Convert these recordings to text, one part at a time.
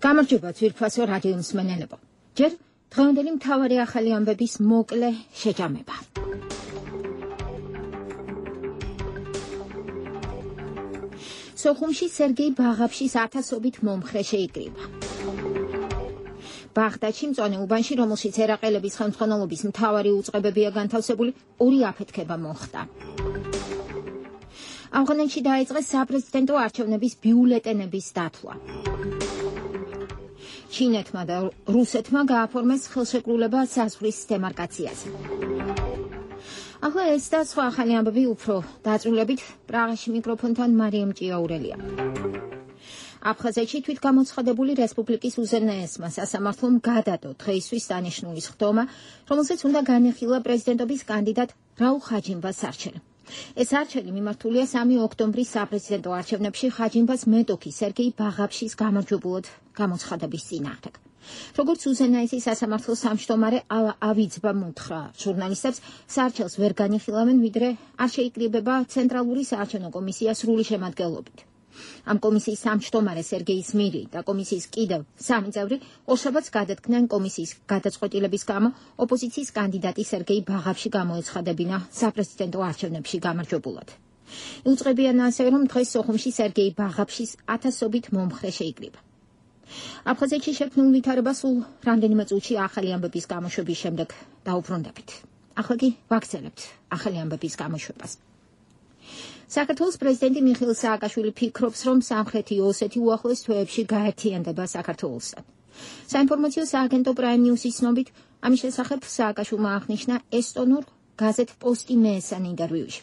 გამარჯობა ძვირფასო რადიო მსმენელებო. ჯერ დღევანდელი მთავარი ახალი ამბების მოკლე შეჯამება. სოხუმში სერგეი ბაღაფშის 1000-ობით მომხრე შეიკრიბა. ბაღდადში მწვანე უბანში, რომელშიც ერაყელების ხელმძღვანელობის მთავარი უწყებებია განთავსებული, 2 აფეთქება მოხდა. ავღანეთში დაიწყეს საპრეზიდენტო არჩევნების ბიულეტენების დათვლა. ჩინეთმა და რუსეთმა გააფორმეს ხელშეკრულება საზღვრის დემარკაციაზე. ახლა ეს და სხვა ახალი ამბები უფრო დაწვრილებით პრაღაში მიკროფონთან მარიამ ჭიაურელია. აფხაზეთში თვითგამოცხადებული რესპუბლიკის უზენაესმა სასამართლომ გადადო დღეისთვის დანიშნული სხდომა, რომელსაც უნდა განეხილა პრეზიდენტობის კანდიდატ რაულ ხაჯიმბას არჩევანი. ეს არჩევანი მიმართულია 3 ოქტომბრის საპრეზიდენტო არჩევნებში ხაჯიმბას მეტოქი სერგეი ბაღაფშის გამარჯვებულად გამოცხადების წინააღმდეგ. როგორც უზენაესი სასამართლოს სამშტომარე ავიძბა მოთხრა ჟურნალისტებს, საარჩევნს ვერ განიხილავენ, ვიდრე არ შეიკრიბება ცენტრალური საარჩევნო კომისია სრული შემადგენლობით. ამ კომისიის სამშტომარე სერგეი სმირი და კომისიის კიდევ 3 წევრი ორშაბათს გადადგნენ კომისიის გადაწყვეტილების გამო ოპოზიციის კანდიდატი სერგეი ბაღაფში გამოეცხადებინა საპრეზიდენტო არჩევნებში გამარჯვებულად. იუწყებიან ასევე, რომ დღეს სოხუმში სერგეი ბაღაფშის 1000-ობით მომხრე შეიკრიბა. აფხაზეთში შექმნილ ვითარებას სულ რამდენიმე წუთში ახალი ამბების გამოშვების შემდეგ დაუბრუნდებით. ახლა კი ვაგრძელებთ ახალი ამბების გამოშვებას. საქართველოს პრეზიდენტი მიხეილ სააკაშვილი ფიქრობს, რომ სამხრეთი ოსეთი უახლოეს თვეებში გაერთიანდება საქართველოსთან. საინფორმაციო სააგენტო პრაიმ ნიუსის ცნობით, ამის შესახებ სააკაშვილმა აღნიშნა ესტონურ გაზეთ პოსტი მეესან ინტერვიუში.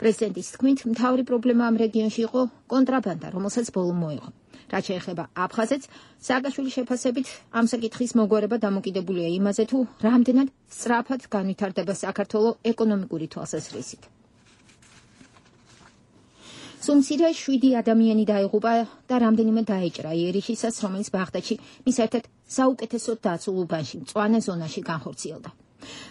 პრეზიდენტის თქმით, მთავარი პრობლემა ამ რეგიონში იყო კონტრაბანდა, რომელსაც ბოლომ მოიღო. რაც შეეხება აფხაზეთს, სააკაშვილის შეფასებით, ამ საკითხის მოგვარება დამოკიდებულია იმაზე, თუ რამდენად სწრაფად განვითარდება საქართველო ეკონომიკური თვალსაზრისით. სუმცირე 7 ადამიანი დაიღუპა და რამდენიმე დაეჭრა იერიშისას, რომელიც ბაღდადში მის ერთ-ერთ საუკეთესოდ დაცულ უბანში, მწვანე ზონაში განხორციელდა.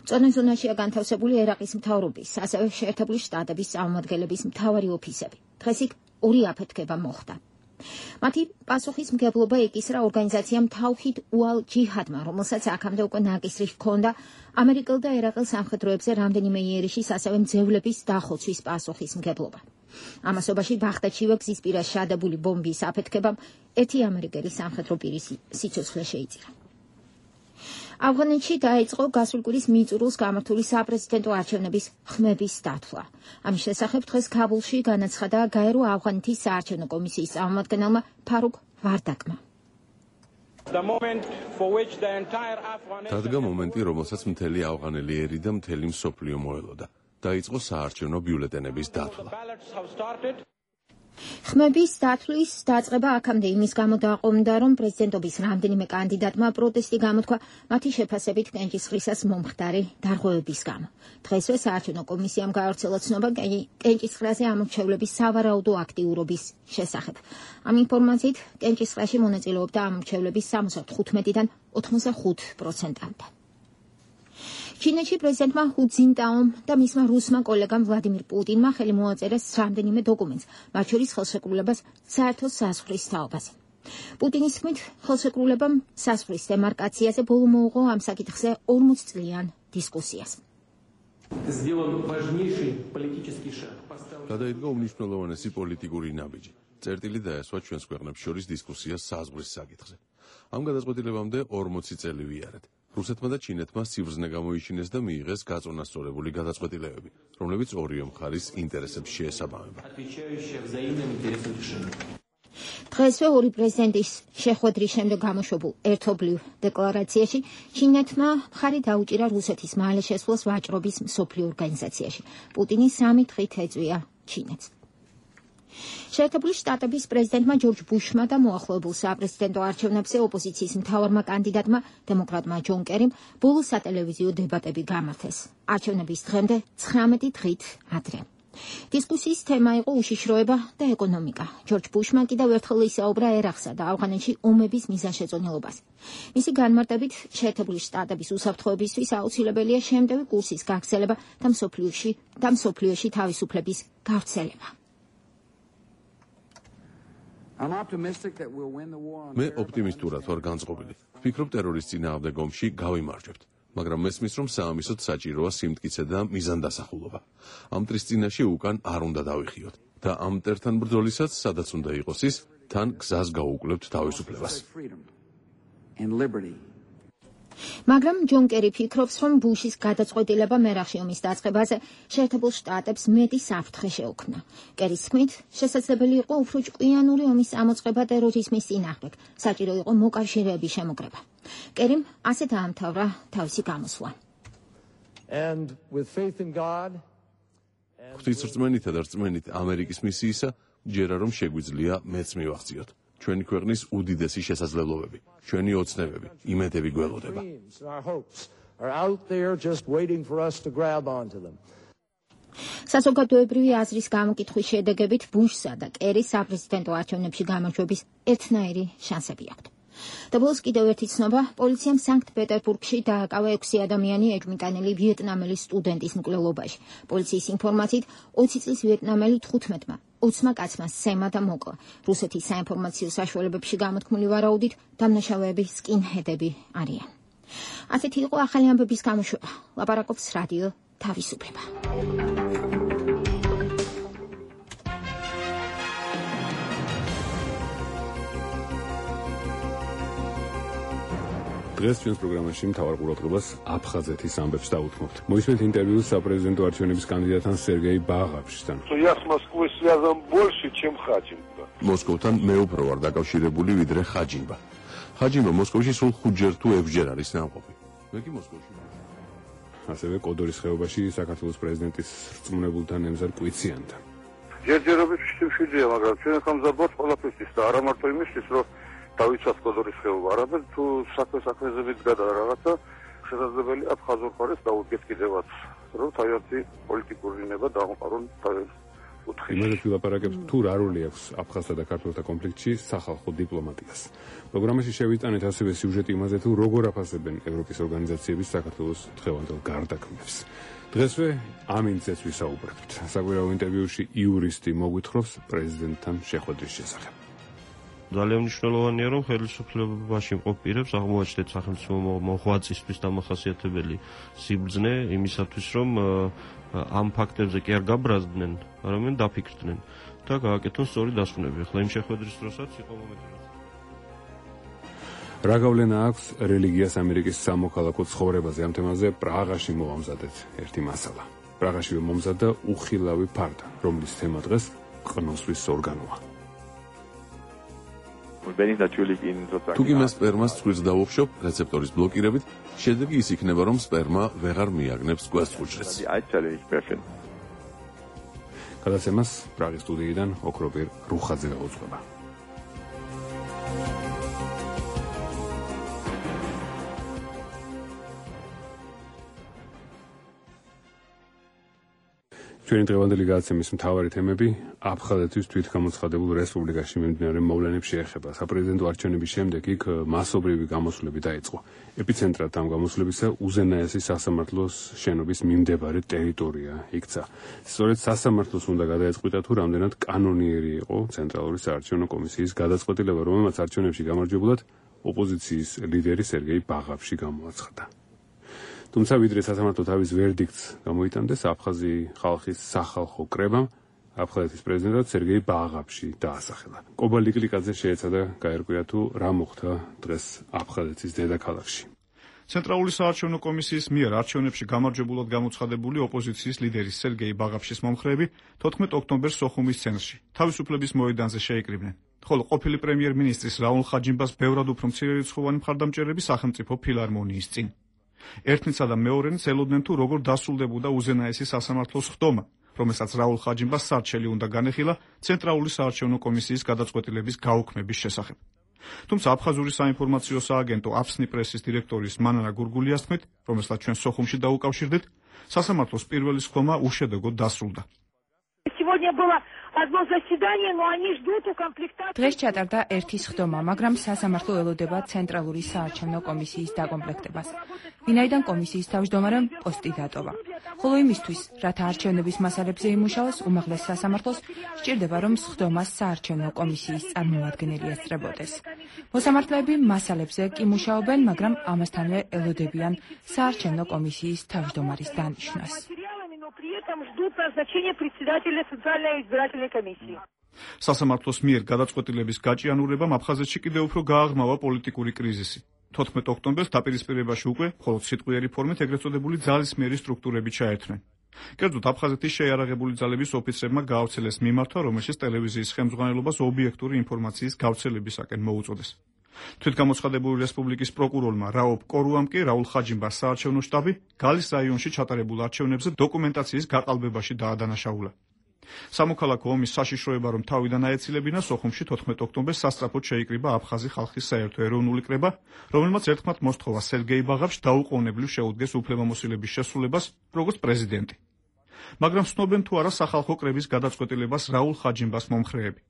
მწვანე ზონაშია განთავსებული ერაყის მთავრობის, ასევე შეერთებული შტატების წარმომადგენლების მთავარი ოფისები. დღეს იქ 2 აფეთქება მოხდა. მათი პასუხისმგებლობა ეკისრა ორგანიზაციამ თავჰიდ უალ ჯიჰადმა, რომელსაც აქამდე უკვე ნაკისრი ჰქონდა ამერიკელ და ერაყელ სამხედროებზე რამდენიმე იერიშის, ასევე მძევლების დახოცვის პასუხისმგებლობა. ამასობაში ბაღდადშივე გზის პირას შადებული ბომბის აფეთქებამ 1 ამერიკელი სამხედრო პირის სიცოცხლე შეიწირა. ავღანეთში დაიწყო გასული კვირის მიწურულს გამართული საპრეზიდენტო არჩევნების ხმების დათვლა. ამის შესახებ დღეს ქაბულში განაცხადა გაერო ავღანეთის საარჩევნო კომისიის წარმომადგენელმა ფარუქ ვარდაკმა. დადგა მომენტი, რომელსაც მთელი ავღანელი ერი და მთელი მსოფლიო მოელოდა. დაიწყო საარჩევნო ბიულეტენების დათვლა. ხმების დათვლის დაწყება აქამდე იმის გამო დაყოლმდა, რომ პრეზიდენტობის რამდენიმე კანდიდატმა პროტესტი გამოთქვა მათი შეფასებით კენჭისყრისას მომხდარი დარღვევების გამო. დღესვე საარჩევნო კომისიამ გაავრცელა ცნობა კენჭისყრაზე ამორჩევლების სავარაუდო აქტიურობის შესახებ. ამ ინფორმაციით კენჭისყრაში მონაწილეობდა ამორჩევლების 75-დან 85%-მდე. ჩინეთში პრეზიდენტმა ჰუ ძინტაომ და მისმა რუსმა კოლეგამ ვლადიმირ პუტინმა ხელი მოაწერეს რამდენიმე დოკუმენტს, მათ შორის ხელშეკრულებას საერთო საზღვრის თაობაზე. პუტინის თქმით, ხელშეკრულებამ საზღვრის დემარკაციაზე ბოლო მოუღო ამ საკითხზე 40 წლიან დისკუსიას. გადაიდგა უმნიშვნელოვანესი პოლიტიკური ნაბიჯი. წერტილი დაესვა ჩვენს ქვეყნებს შორის დისკუსიას საზღვრის საკითხზე. ამ გადაწყვეტილებამდე 40 წელი ვიარეთ. რუსეთმა და ჩინეთმა სიბრძნე გამოიჩინეს და მიიღეს გაწონასწორებული გადაწყვეტილებები, რომლებიც ორივე მხარის ინტერესებს შეესაბამება. დღესვე 2 პრეზიდენტის შეხვედრის შემდეგ გამოშვებულ ერთობლივ დეკლარაციაში ჩინეთმა მხარი დაუჭირა რუსეთის მალე შესვლას ვაჭრობის მსოფლიო ორგანიზაციაში. პუტინი 3 დღით ეწვია ჩინეთს. შეერთებული შტატების პრეზიდენტმა ჯორჯ ბუშმა და მოახლოებულ საპრეზიდენტო არჩევნებზე ოპოზიციის მთავარმა კანდიდატმა, დემოკრატმა ჯონ კერიმ, ბოლო სატელევიზიო დებატები გამართეს. არჩევნების დღემდე 19 დღით ადრე. დისკუსიის თემა იყო უშიშროება და ეკონომიკა. ჯორჯ ბუშმა კიდევ ერთხელ ისაუბრა ერაყსა და ავღანეთში ომების მიზანშეწონილობაზე. მისი განმარტებით, შეერთებული შტატების უსაფრთხოებისთვის აუცილებელია შემტევი კურსის გაგრძელება და მსოფლიოში თავისუფლების გავრცელება. მე ოპტიმისტურად ვარ განწყობილი. ვფიქრობ ტერორის წინააღმდეგ ომში გავიმარჯვებთ. მაგრამ მესმის რომ საამისოდ საჭიროა სიმტკიცე და მიზანდასახულობა. ამ ტრის წინაშე უკან არ უნდა დავიხიოთ და ამ მტერთან ბრძოლისაც სადაც უნდა იყოს ის, თან გზას გაუკვლებთ თავისუფლებას. მაგრამ ჯონ კერი ფიქრობს, რომ ბუშის გადაწყვეტილება მერახში ომის დაწყებაზე შეერთებულ შტატებს მეტი საფრთხე შეუქმნა. კერის თქმით, შესაძლებელი იყო უფრო ჭკვიანური ომის ამოწყება ტერორიზმის წინააღმდეგ, საჭირო იყო მოკავშირეების შემოკრება. კერიმ ასე დაამთავრა თავისი გამოსვლა. ღვთისრწმენითა და რწმენით ამერიკის მისიისა, ჯერა რომ შეგვიძლია მეც მივახციოთ. ჩვენი ქვეყნის უდიდესი შესაძლებლობები, ჩვენი ოცნებები, იმედები გველოდება. საზოგადოებრივი აზრის გამოკითხვის შედეგებით ბუშსა და კერის საპრეზიდენტო არჩევნებში გამარჯვების ერთნაირი შანსები აქვთ. და ბოლოს კიდევ ერთი ცნობა, პოლიციამ სანქტ-პეტერბურგში დააკავა 6 ადამიანი ეჭვმიტანილი ვიეტნამელი სტუდენტის მკვლელობაში. პოლიციის ინფორმაციით 20 წლის ვიეტნამელი 15-მა 20 კაცმა სემა და მოკლა. რუსეთის საინფორმაციო საშუალებებში გამოთქმული ვარაუდით დამნაშავეები სკინჰედები არიან. ასეთი იყო ახალი ამბების გამოშვება. ლაპარაკობს რადიო თავისუფლება. დღეს ჩვენს პროგრამაში მთავარ ყურადღებას აფხაზეთის ამბებს დაუთმობთ. მოისმენთ ინტერვიუს საპრეზიდენტო არჩევნების კანდიდატთან სერგეი ბაღაფშთან. Я с Москвой связан больше, чем Хаჯინბა. მოსკოვთან მე უფრო ვარ დაკავშირებული ვიდრე ხაჯინბა. ხაჯინბა მოსკოვში სულ 5-ჯერ თუ 6-ჯერ არის ნამყოფი. მე კი მოსკოვში. ასევე კოდორის ხეობაში საქართველოს პრეზიდენტის რწმუნებულთან ემზარ კვიციანთან. ჯერჯერობით შეშვიდია, მაგრამ ჩვენ ხამზაბოთ ყველაფერთვის და არა მარტო იმისთვის, რომ დავიცვათ კოდორის ხეობა, არამედ თუ საქმეზე მიდგა რაღაცა შესაძლებელი აფხაზურ მხარეს დაუდგეთ კიდევაც, რომ თავისი პოლიტიკური ნება დაამყარონ უთხის. იმედით ვილაპარაკებთ თუ რა როლი აქვს აფხაზთა და ქართველთა კონფლიქტში სახალხო დიპლომატიას. პროგრამაში შევიტანეთ ასევე სიუჟეტი იმაზე თუ როგორ აფასებენ ევროპის ორგანიზაციების საქართველოს დღევანდელ გარდაქმნებს. დღესვე ამ ინციდენტს ვისაუბრებთ. საკვირაო ინტერვიუში იურისტი მოგვითხრობს პრეზიდენტთან შეხვედრის შესახებ. ძალიან მნიშვნელოვანია, რომ ხელისუფლებაში მყოფ პირებს აღმოაჩნდეთ სახელმწიფო მოღვაწისთვის დამახასიათებელი სიბრძნე იმისათვის, რომ ამ ფაქტებზე კი არ გაბრაზდნენ, არამედ დაფიქრდნენ და გააკეთონ სწორი დასკვნები. ახლა იმ შეხვედრის დროსაც იყო მომენტი. რა გავლენა აქვს რელიგიას ამერიკის სამოქალაქო ცხოვრებაზე? ამ თემაზე პრაღაში მოვამზადეთ ერთი მასალა. პრაღაშივე მომზადდა უხილავი ფარდა, რომლის თემა დღეს ყნოსვის ორგანოა. თუ კი მე სპერმას ცხვირს დავუხშობ რეცეპტორის ბლოკირებით, შედეგი ის იქნება, რომ სპერმა ვეღარ მიაგნებს გვასწუჭრეს. გადაცემას პრაღის სტუდიიდან ოქროპირ რუხაძე გაუძღვება. ჩვენი დღევანდელი გადაცემის მთავარი თემები აფხაზეთის თვითგამოცხადებულ რესპუბლიკაში მიმდინარე მოვლენებს შეეხება. საპრეზიდენტო არჩევნების შემდეგ იქ მასობრივი გამოსვლები დაიწყო. ეპიცენტრად ამ გამოსვლებისა უზენაესი სასამართლოს შენობის მიმდებარე ტერიტორია იქცა. სწორედ სასამართლოს უნდა გადაეწყვიტა თუ რამდენად კანონიერი იყო ცენტრალური საარჩევნო კომისიის გადაწყვეტილება, რომელმაც არჩევნებში გამარჯვებულად ოპოზიციის ლიდერი სერგეი ბაღაფში გამოაცხადა. თუმცა ვიდრე სასამართლო თავის ვერდიქტს გამოიტანდეს აფხაზი ხალხის სახალხო კრებამ, აფხაზეთის პრეზიდენტად სერგეი ბაღაფში დაასახელა. კობა ლიკლიკაძე შეეცადა გაერკვია თუ რა მოხდა დღეს აფხაზეთის დედაქალაქში. ცენტრალური საარჩევნო კომისიის მიერ არჩევნებში გამარჯვებულად გამოცხადებული ოპოზიციის ლიდერის სერგეი ბაღაფშის მომხრეები 14 ოქტომბერს სოხუმის ცენტრში თავისუფლების მოედანზე შეიკრიბნენ. ხოლო ყოფილი პრემიერ-მინისტრის რაულ ხაჯინბას ბევრად უფრო მცირერიცხოვანი მხარდამჭერები სახელმწიფო ფილარმონიის წინ. ერთნიცა და მეორენი ცელოდნენ თუ როგორ დასრულდებოდა უზენაესი სასამართლოს ხდომა, რომელსაც რაულ ხაჯინბას სარჩელი უნდა განეხილა ცენტრალური საარჩევნო კომისიის გადაწყვეტილების გაუქმების შესახებ. თუმცა აფხაზური საინფორმაციო სააგენტო აფსნი პრესის დირექტორის მანანა გურგულიას თქმით, რომელსაც ჩვენ სოხუმში დაუკავშირდით, სასამართლოს პირველი სხდომა უშედეგოდ დასრულდა. сегодня было одно заседание, но они ждут укомплектации. დღეს ჩატარდა ერთი სხდომა, მაგრამ სასამართლო ელოდება ცენტრალური საარჩევნო კომისიის დაკომპლექტებას. ვინაიდან კომისიის თავმჯდომარემ პოსტი დატოვა. ხოლო იმისთვის, რათა არჩევნების მასალებზე იმუშაოს, უმაღლეს სასამართლოს სჭირდება, რომ სხდომას საარჩევნო კომისიის წარმომადგენელი ესწრებოდეს. მოსამართლეები მასალებზე კი მუშაობენ, მაგრამ ამასთანავე ელოდებიან საარჩევნო კომისიის თავმჯდომარის დანიშვნას. При этом ждут назначения председателя Центральной избирательной комиссии. სასამართლოს მიერ გადაწყვეტილების გაჭიანურებამ აფხაზეთში კიდევ უფრო გააღრმავა პოლიტიკური კრიზისი. 14 ოქტომბერს დაპირისპირებაში უკვე მხოლოდ სიტყვიერი ფორმით ეგრეთ წოდებული ძალისმიერი სტრუქტურები ჩაერთვნენ. კერძოდ აფხაზეთის შეიარაღებული ძალების ოფიცრებმა გაავრცელეს მიმართვა, რომელშიც ტელევიზიის ხელმძღვანელობას ობიექტური ინფორმაციის გავრცელებისაკენ მოუწოდეს. თვითგამოცხადებული რესპუბლიკის პროკურორმა რაობ კორუამ კი რაულ ხაჯიმბას საარჩევნო შტაბი გალის რაიონში ჩატარებულ არჩევნებზე დოკუმენტაციის გაყალბებაში დაადანაშაულა. სამოქალაქო ომის საშიშროება რომ თავიდან აეცილებინა, სოხუმში 14 ოქტომბერს სასწრაფოდ შეიკრიბა აფხაზი ხალხის საერთო ეროვნული კრება, რომელმაც ერთხმად მოსთხოვა სერგეი ბაღავში დაუყოვნებლივ შეუდგეს უფლებამოსილების შესრულებას, როგორც პრეზიდენტი. მაგრამ ცნობენ თუ არა სახალხო კრების გადაწყვეტილებას რაულ ხაჯიმბას მომხრეები.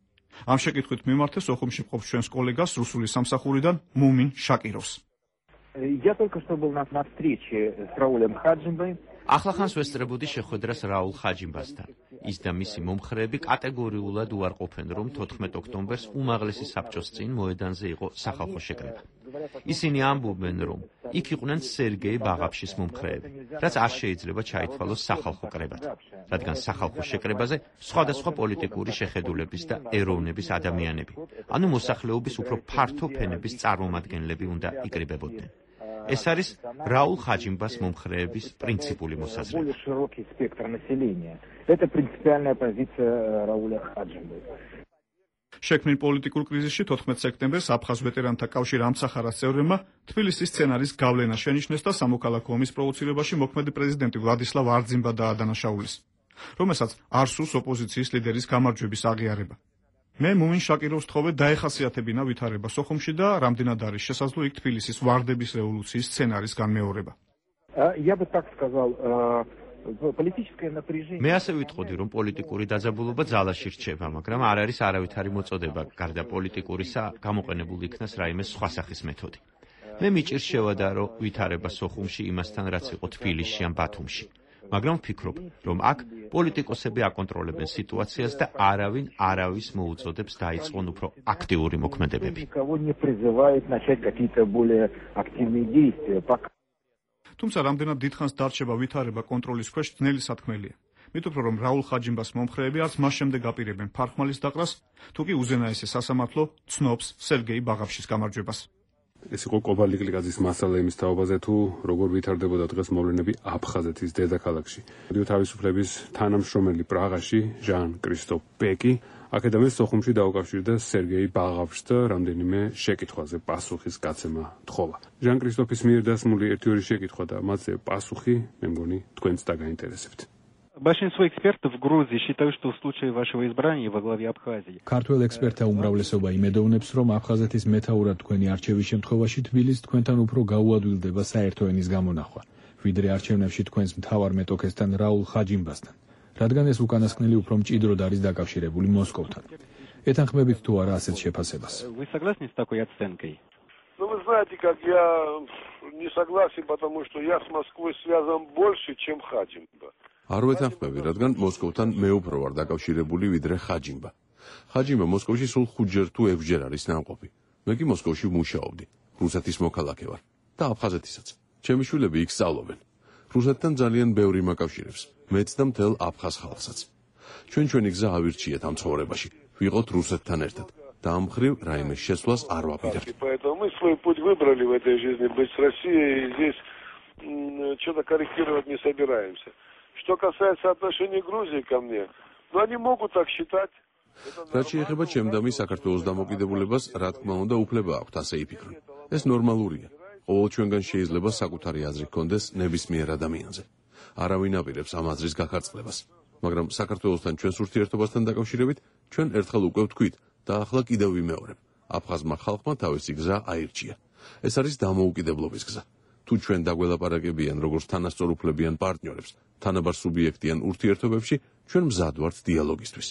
ამ შეკითხვით მიმართე სოხუმში მყოფ ჩვენს კოლეგას რუსული სამსახურიდან მუმინ შაკიროვს. Я только что был на встрече с Раулем Хаджимбой. ახლახანს ვესწრებოდი შეხვედრას რაულ ხაჯიმბასთან. ის და მისი მომხრეები კატეგორიულად უარყოფენ, რომ 14 ოქტომბერს უმაღლესი საბჭოს წინ მოედანზე იყო სახალხო შეკრება. ისინი ამბობენ, რომ იქ იყვნენ სერგეი ბაღავშის მომხრეები, რაც არ შეიძლება ჩაითვალოს სახალხო კრებად, რადგან სახალხო შეკრებაზე სხვადასხვა პოლიტიკური შეხედულების და ეროვნების ადამიანები, ანუ მოსახლეობის უფრო ფართო ფენების წარმომადგენლები უნდა იკრიბებოდნენ. ეს არის რაულ ხაჯიმბას მომხრეების პრინციპული მოსაზრება. შექმნილ პოლიტიკურ კრიზისში 14 სექტემბერს აფხაზ ვეტერანთა კავშირ ამცახარას წევრებმა თბილისის სცენარის გავლენა შენიშნეს და სამოქალაქო ომის პროვოცირებაში მოქმედი პრეზიდენტი ვლადისლავ არძიმბა დაადანაშაულეს, რომელსაც არ სურს ოპოზიციის ლიდერის გამარჯვების აღიარება. მე მუმინ შაკიროვს თხოვე დაეხასიათებინა ვითარება სოხუმში და რამდენად არის შესაძლო იქ თბილისის ვარდების რევოლუციის სცენარის განმეორება. მე ასე ვიტყოდი, რომ პოლიტიკური დაძაბულობა ძალაში რჩება, მაგრამ არ არის არავითარი მოწოდება, გარდა პოლიტიკურისა გამოყენებული იქნას რაიმე სხვა სახის მეთოდი. მე მიჭირს შევადარო ვითარება სოხუმში იმასთან, რაც იყო თბილისში ან ბათუმში. მაგრამ ვფიქრობ, რომ აქ პოლიტიკოსები აკონტროლებენ სიტუაციას და არავინ არავის მოუწოდებს დაიწყონ უფრო აქტიური მოქმედებები. თუმცა რამდენად დიდხანს დარჩება ვითარება კონტროლის ქვეშ ძნელი სათქმელია. მით უფრო რომ რაულ ხაჯიმბას მომხრეები არც მას შემდეგ აპირებენ ფარხმალის დაყრას, თუ კი უზენაესი სასამართლო ცნობს სერგეი ბაღავშის გამარჯვებას. ეს იყო კობალიკლიკაძის მასალა იმის თაობაზე, თუ როგორ ვითარდებოდა დღეს მოვლენები აფხაზეთის დედაქალაქში. თავისუფლების თანამშრომელი პრაღაში ჟან კრისტოფ ბეკი აქედამე სოხუმში დაუკავშირდა სერგეი ბაღავშს და რამდენიმე შეკითხვაზე პასუხის გაცემა თხოვა. ჟან კრისტოფის მიერ დასმული ერთი-ორი შეკითხვა და მათზე პასუხი, მე მგონი, თქვენც დაგაინტერესებთ. Большинство экспертов в Грузии считают, что в случае вашего избрания во главе Абхазии. ქართველ ექსპერტთა უმრავლესობა იმედოვნებს, რომ აფხაზეთის მეთაურად თქვენი არჩევის შემთხვევაში თბილისს თქვენთან უფრო გაუადვილდება საერთო ენის გამონახვა, ვიდრე არჩევნებში თქვენს მთავარ მეტოქესთან რაულ ხაჯიმბასთან, რადგან ეს უკანასკნელი უფრო მჭიდროდ არის დაკავშირებული მოსკოვთან. ეთანხმებით თუ არა ასეთ შეფასებას? Вы согласны с такой оценкой? Ну, вы знаете, как я не согласен, потому что я с Москвой связан больше, чем Хаджимба. არ ვეთანხმები, რადგან მოსკოვთან მე უფრო ვარ დაკავშირებული ვიდრე ხაჯიმბა. ხაჯიმბა მოსკოვში სულ 5-ჯერ თუ 6-ჯერ არის ნამყოფი. მე კი მოსკოვში ვმუშაობდი. რუსეთის მოქალაქე ვარ და აფხაზეთისაც. ჩემი შვილები იქ სწავლობენ. რუსეთთან ძალიან ბევრი მაკავშირებს, მეც და მთელ აფხაზ ხალხსაც. ჩვენი გზა ავირჩიეთ ამ ცხოვრებაში. ვიყოთ რუსეთთან ერთად. და ამ მხრივ რაიმე შესვლას არ ვაპირებთ. Поэтому мы свой путь выбрали в этой жизни, быть с Россией, и здесь что-то корректировать не собираемся. Что касается отношений Грузии ко мне, ну они могут так считать. რაც შეეხება ჩემდამი საქართველოს დამოკიდებულებას, რა თქმა უნდა, უფლება აქვთ ასე იფიქრონ. ეს ნორმალურია. ყოველ ჩვენგან შეიძლება საკუთარი აზრი ჰქონდეს ნებისმიერ ადამიანზე. არავინ აპირებს ამ აზრის გაქარწყლებას. მაგრამ საქართველოსთან ჩვენს ურთიერთობასთან დაკავშირებით, ჩვენ ერთხელ უკვე ვთქვით და ახლა კიდევ ვიმეორებ. აფხაზმა ხალხმა თავისი გზა აირჩია. ეს არის დამოუკიდებლობის გზა. თუ ჩვენ დაგველაპარაკებიან როგორც თანასწორუფლებიან პარტნიორებს, თანაბარ სუბიექტიან ურთიერთობებში ჩვენ მზად ვართ დიალოგისთვის.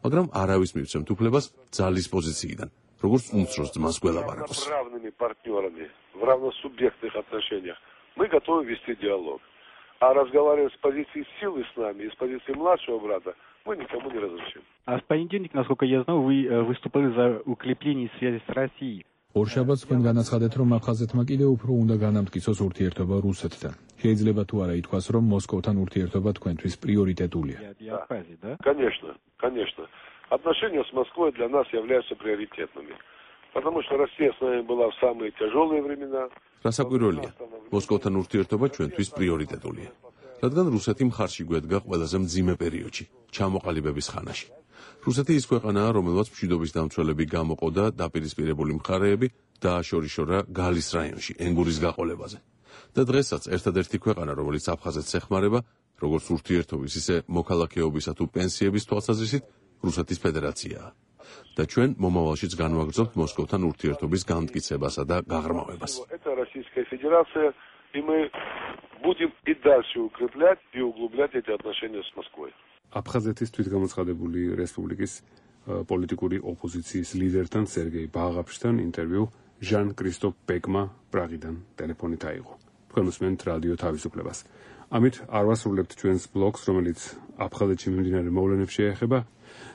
მაგრამ არავის მივცემთ უფლებას ძალის позиციიდან, როგორც უმცროს ძმას გველაპარაკოს. Равными партнерами, в равносубъектных отношениях. Мы готовы вести диалог. А разговаривать с позиции силы с нами и с позиции младшего брата мы никому не разрешим. А в понедельник, насколько я знаю, вы выступали за укрепление связи с Россией. ორშაბათს თქვენ განაცხადეთ, რომ აფხაზეთმა კიდევ უფრო უნდა განამტკიცოს ურთიერთობა რუსეთთან. შეიძლება თუ არა ითქვას, რომ მოსკოვთან ურთიერთობა თქვენთვის პრიორიტეტულია. Конечно. Отношения с Москвой для нас являются приоритетными. Потому что Россия с нами была в самые тяжелые времена. რასაკვირველია, მოსკოვთან ურთიერთობა ჩვენთვის პრიორიტეტულია. რადგან რუსეთი მხარში გვედგა ყველაზე მძიმე პერიოდში, ჩამოყალიბების ხანაში. რუსეთი ის ქვეყანაა, რომელმაც მშვიდობის დამცველები გამოყო და დაპირისპირებული მხარეები დააშორიშორა გალის რაიონში, ენგურის გაყოლებაზე. და დღესაც ერთადერთი ქვეყანა, რომელიც აფხაზეთს ეხმარება, როგორც ურთიერთობის, ისე მოქალაქეობისა თუ პენსიების თვალსაზრისით, რუსეთის ფედერაციაა. და ჩვენ მომავალშიც განვაგრძობთ მოსკოვთან ურთიერთობის განმტკიცებასა და გაღრმავებას. Это Российская Федерация, и мы будем и дальше укреплять и углублять эти отношения с Москвой. აფხაზეთის თვითგამოცხადებული რესპუბლიკის პოლიტიკური ოპოზიციის ლიდერთან სერგეი ბაღაფშთან ინტერვიუ ჟან კრისტოფ ბეკმა პრაღიდან ტელეფონით აიღო. თქვენ უსმენთ რადიო თავისუფლებას. ამით არ ვასრულებთ ჩვენს ბლოგს, რომელიც აფხაზეთში მიმდინარე მოვლენებს შეეხება.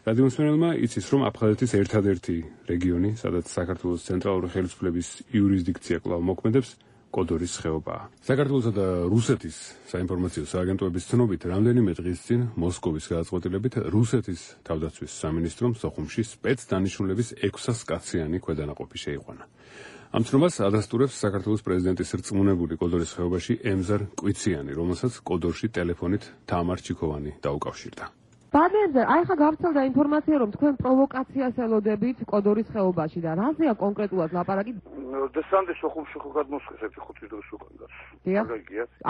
რადიო მსმენელმა იცის, რომ აფხაზეთის ერთადერთი რეგიონი, სადაც საქართველოს ცენტრალური ხელისუფლების იურისდიქცია კვლავ მოქმედებს, კოდორის ხეობაა. საქართველოსა და რუსეთის საინფორმაციო სააგენტოების ცნობით, რამდენიმე დღის წინ მოსკოვის გადაწყვეტილებით რუსეთის თავდაცვის სამინისტრომ სოხუმში სპეცდანიშნულების 600 კაციანი ქვედანაყოფი შეიყვანა. ამ ცნობას ადასტურებს საქართველოს პრეზიდენტის რწმუნებული კოდორის ხეობაში ემზარ კვიციანი, რომელსაც კოდორში ტელეფონით თამარ ჩიქოვანი დაუკავშირდა. ბადენზე, აი ხა გავრცელდა ინფორმაცია, რომ თქვენ პროვოკაციას ელოდებით კოდორის ხეობაში და რაზეა კონკრეტულად ლაპარაკი? დესანტი სოხუმში ხო გადმოსხეს 5 დღის უკან და. დიახ.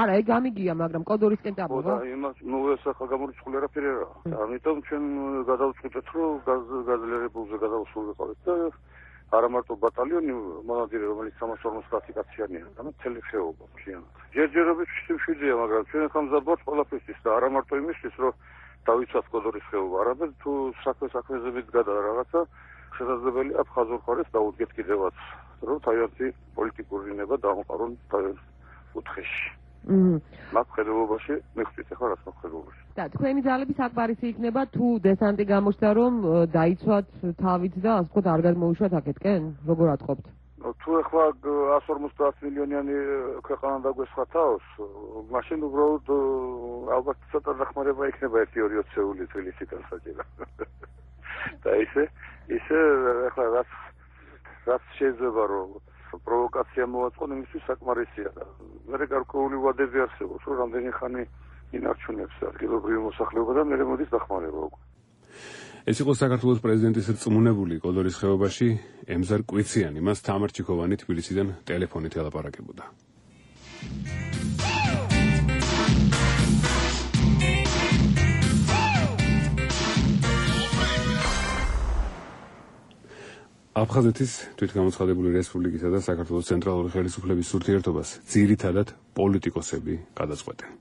არა, ეგ გამიგია, მაგრამ კოდორისკენ წამოვა. ნუ ეს ახლა გამორიცხული არაფერი არა. ამიტომ ჩვენ გადავწყვეტეთ, რომ გაზლერებულზე გადავსულიყავით და არა მარტო ბატალიონი, მონადირე, რომელიც 350 კაციანია, ანუ მთელი ხეობა მთლიანად. ჯერჯერობით შეგვიძლია, მაგრამ ჩვენ ახლა მზადობთ ყველაფერთვის და არა მარტო იმისთვის, რომ დავიცვათ კოდორის ხეობა, არამედ თუ საქმეზე მიდგა რაღაცა შესაძლებელი აფხაზურ მხარეს დაუდგეთ კიდევაც, რომ თავიანთი პოლიტიკური ნება დამყარონ თავიანთ კუთხეში. მათ ხედავობაში მიხდით ახლა რაც ხედავობაში. და თქვენი ძალები საკმარისი იქნება თუ დესანტი გამოჩნდა, რომ დაიცვათ თავით და ასე ვთქვათ არ გადმოუშვათ აქეთკენ? როგორ ატყობთ? თუ ახლა 150 მილიონიანი ქვეყანა დაგვესხა თავს, მაშინ უბრალოდ ალბათ ცოტა დახმარება იქნება 1-2 ოცეული თბილისიდან საჭირო. და ისე ახლა რაც შეიძლება რომ პროვოკაცია მოაწყონ, იმისთვის საკმარისია. მე გარკვეული ვადები არსებობს, რომ რამდენი ხანი ინარჩუნებს ადგილობრივი მოსახლეობა და მე მოდის დახმარება უკვე. ეს იყო საქართველოს პრეზიდენტის რწმუნებული კოდორის ხეობაში ემზარ კვიციანი, მას თამარ ჩიქოვანი თბილისიდან ტელეფონით ელაპარაკებოდა. აფხაზეთის თვითგამოცხადებული რესპუბლიკისა და საქართველოს ცენტრალური ხელისუფლების ურთიერთობას ძირითადად პოლიტიკოსები გადაწყვეტენ.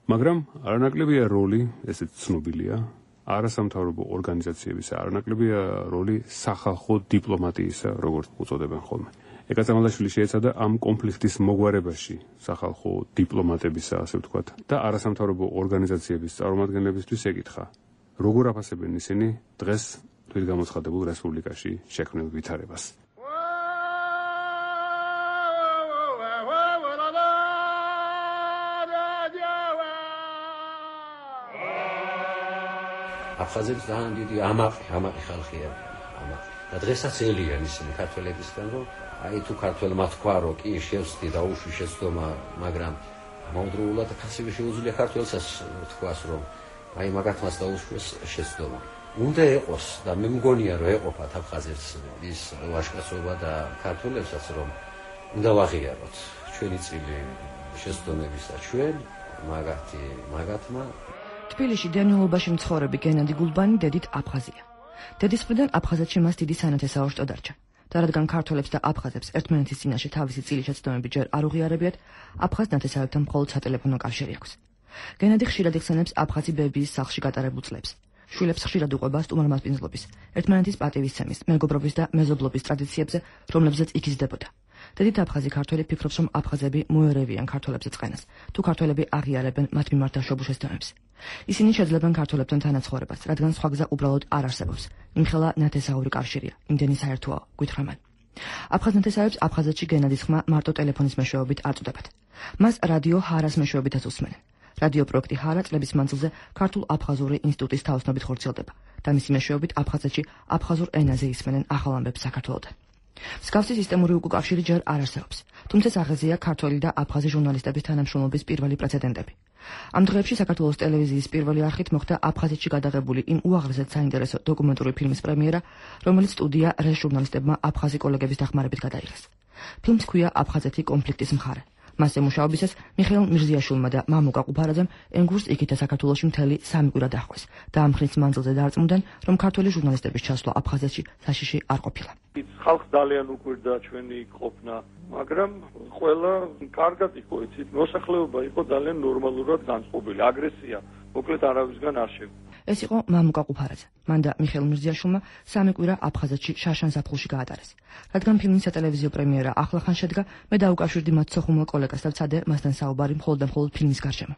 მაგრამ არანაკლებია როლი, ესეც ცნობილია, არასამთავრობო ორგანიზაციებისა, არანაკლებია როლი სახალხო დიპლომატიისა, როგორც უწოდებენ ხოლმე. ეკაცამალაშვილი შეეცადა ამ კონფლიქტის მოგვარებაში სახალხო დიპლომატებისა, ასე ვთქვათ, და არასამთავრობო ორგანიზაციების წარმომადგენლებისთვის ეკითხა, როგორ აფასებენ ისინი დღეს თვითგამოცხადებულ რესპუბლიკაში შექმნილ ვითარებას. აფხაზებს ძალიან დიდი ამაყი ხალხია. და დღესაც ელიან ისინი ქართველებისგან, რომ აი თუ ქართველმა თქვა, რომ კი შევსდი და უშwi შეცდომა, მაგრამ ამავდროულად ასევე შეუძლია ქართველსაც თქვას, რომ აი მაგათმაც დაუშვეს შეცდომა. უნდა ეყოს და მე მგონია, რომ ეყოფათ აფხაზებს ის ვაჟკაცობა და ქართველებსაც, რომ უნდა ვაღიაროთ ჩვენი წილი შეცდომებისა ჩვენ მაგათმა. თბილისში დევნილობაში მცხოვრები გენადი გულბანი დედით აფხაზია. დედის მხრიდან აფხაზეთში მას დიდი სანათესაო დარჩა. და რადგან ქართველებს და აფხაზებს ერთმანეთის წინაშე თავისი წილი შეცდომები ჯერ არ უღიარებიათ, აფხაზ ნათესავებთან მხოლოდ სატელეფონო კავშირი აქვს. გენადი ხშირად იხსენებს აფხაზი ბებიის სახლში გატარებულ წლებს. შვილებს ხშირად უყვება სტუმართმასპინძლობის, ერთმანეთის პატივისცემის, მეგობრობის და მეზობლობის ტრადიციებზე, რომლებზეც იგიზდებოდა. დედით აფხაზი ქართველი ფიქრობს, რომ აფხაზები მოერევიან ქართველებზე წყენას, თუ ქართველები აღიარებენ მათ მიმართ დაშვებულ შესაბამებს. ისინი შეძლებენ ქართველებთან თანაცხოვრებას, რადგან სხვა გზა უბრალოდ არ არსებობს. იმხელა ნათესაური კავშირია, იმდენი საერთოა, გვითხრა მან. აფხაზ ნათესავებს აფხაზეთში გენადის ხმა მარტო ტელეფონის მეშვეობით აწუდებათ. მას რადიო ჰარას მეშვეობითაც უსმენენ. რადიო პროექტი ჰარა წლების მანძილზე ქართულ აფხაზური ინსტიტუტის თაოსნობით ხორციელდება და მისი მეშვეობით აფხაზეთში აფხაზურ ენაზე ისმენენ ახალ ამბებს საქართველოდან. მსგავსი სისტემური უკავშირი ჯერ არ არსებობს, თუმცა აღეზია ქართველი და აფხაზი ჟურნალისტების თანამშრომლობის პირველი პრეცედენტები. ამ დღეებში საქართველოს ტელევიზიის პირველი არხით მოხდა აფხაზეთში გადაღებული იმ უაღრესად საინტერესო დოკუმენტური ფილმის პრემიერა, რომელიც სტუდია რეს ჟურნალისტებმა აფხაზი კოლეგების დახმარებით გადაიღეს. ფილმს ჰქვია აფხაზეთი კონფლიქტის მხარე. მასზე მუშაობისას მიხეილ მირზიაშვილმა და მამუკა ყუფარაძემ ენგურს იქითა საქართველოში მთელი 3 კვირა დაჰყვეს და ამ ხნის მანძილზე დაარწმუნდნენ, რომ ქართველი ჟურნალისტების ჩასვლა აფხაზეთში საშიში არ ყოფილა. ხალხს ძალიან უკვირდა ჩვენი ყოფნა, მაგრამ ყველა კარგად იყო, იცით, მოსახლეობა იყო ძალიან ნორმალურად განწყობილი, აგრესია მოკლედ არავისგან არ შეგვიძლია. ეს იყო მამუკა ყუფარაძე. მან და მიხეილ მირზიაშვილმა 3 კვირა აფხაზეთში შაშან ზაფხულში გაატარეს. რადგან ფილმის სატელევიზიო პრემიერა ახლახან შედგა, მე დაუკავშირდი მათ სოხუმელ კოლეგას და ვცადე მასთან საუბარი მხოლოდ და მხოლოდ ფილმის გარშემო.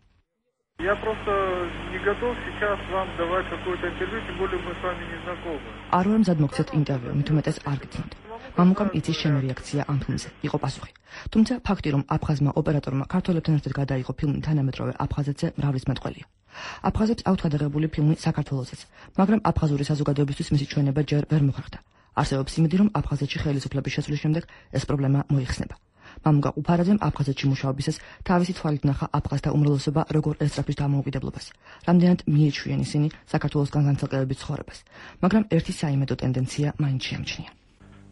Я просто не готов сейчас вам давать какое-то интервью, тем более мы с вами не знакомы. არ ვარ მზად მოგცეთ ინტერვიუ, მით უმეტეს არ გიცნობთ. მამუკამ იცის შენი რეაქცია ამ ფილმზე, იყო პასუხი. თუმცა ფაქტი, რომ აფხაზმა ოპერატორმა ქართველებთან ერთად გადაიღო ფილმი თანამედროვე აფხაზეთზე, მრავლის მეტყველია. აფხაზებს აქვთ გადაღებული ფილმი საქართველოსაც, მაგრამ აფხაზური საზოგადოებისთვის მისი ჩვენება ჯერ ვერ მოხერხდა. არსებობს იმედი, რომ აფხაზეთში ხელისუფლების შეცვლის შემდეგ ეს პრობლემა მოიხსნება. მამუკა ყუფარაძემ აფხაზეთში მუშაობისას თავისი თვალით ნახა აფხაზთა უმრავლესობა როგორ ესწრაფვის დამოუკიდებლობას, რამდენად მიეჩვიან ისინი საქართველოსგან განცალკევების ცხოვრებას, მაგრამ ერთი საიმედო ტენდენცია მაინც შეამჩნია.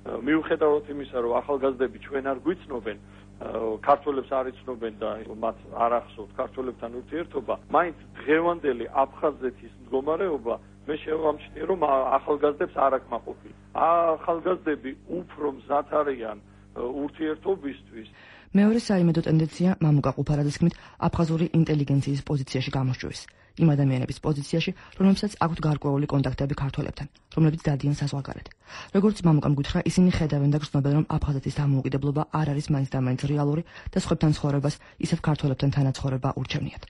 მიუხედავად იმისა, რომ ახალგაზრდები ჩვენ არ გვიცნობენ, ქართველებს არ იცნობენ და მათ არ ახსოვთ ქართველებთან ურთიერთობა, მაინც დღევანდელი აფხაზეთის მდგომარეობა მე შევამჩნიე, რომ ახალგაზრდებს არ აკმაყოფილებს. ახალგაზრდები უფრო მზად არიან ურთიერთობისთვის. მეორე საიმედო ტენდენცია მამუკა ყუფარაძის თქმით აფხაზური ინტელიგენციის პოზიციაში გამოსჯვრის. იმ ადამიანების პოზიციაში, რომლებსაც აქვთ გარკვეული კონტაქტები ქართველებთან, რომლებიც დადიან საზღვარგარეთ. როგორც მამუკამ გითხრა, ისინი ხედავენ და გრძნობენ, რომ აფხაზეთის დამოუკიდებლობა არ არის მაინც და მაინც რეალური და სხვებთან ცხოვრებას, ისევ ქართველებთან თანაცხოვრება ურჩევნიათ.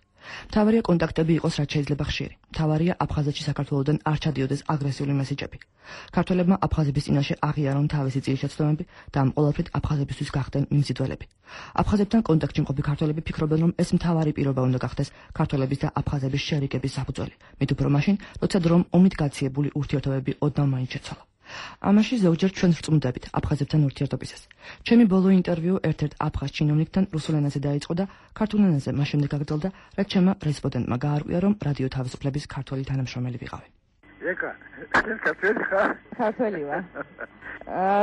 მთავარია კონტაქტები იყოს რაც შეიძლება ხშირი. მთავარია აფხაზეთში საქართველოდან არ ჩადიოდეს აგრესიული მესიჯები. ქართველებმა აფხაზების წინაშე აღიარონ თავისი წინაშეცდომები და ამ ყველაფრით აფხაზებისთვის გახდნენ მიმზიდველები. აფხაზებთან კონტაქტში მყოფი ქართველები ფიქრობენ, რომ ეს მთავარი პირობა უნდა გახდეს ქართველების და აფხაზების შერიგების საფუძველი. მით უფრო მაშინ, როცა დრომ ომით გაციებული ურთიერთობები ოდნავ მაინც შეცვალა. ამაში ზოგჯერ ჩვენ ვწმუნდებით აფხაზებთან ურთიერთობისას. ჩემი ბოლო ინტერვიუ ერთ-ერთ აფხაზ ჩინოვნიკთან რუსულ ენაზე დაიწყო და ქართულ ენაზე მას შემდეგ გაგრძელდა, რაც ჩემმა რესპონდენტმა გაარკვია, რომ რადიო თავისუფლების ქართველი თანამშრომელი ვიყავი. ეკა, ქართველი ხარ? ქართველი вар.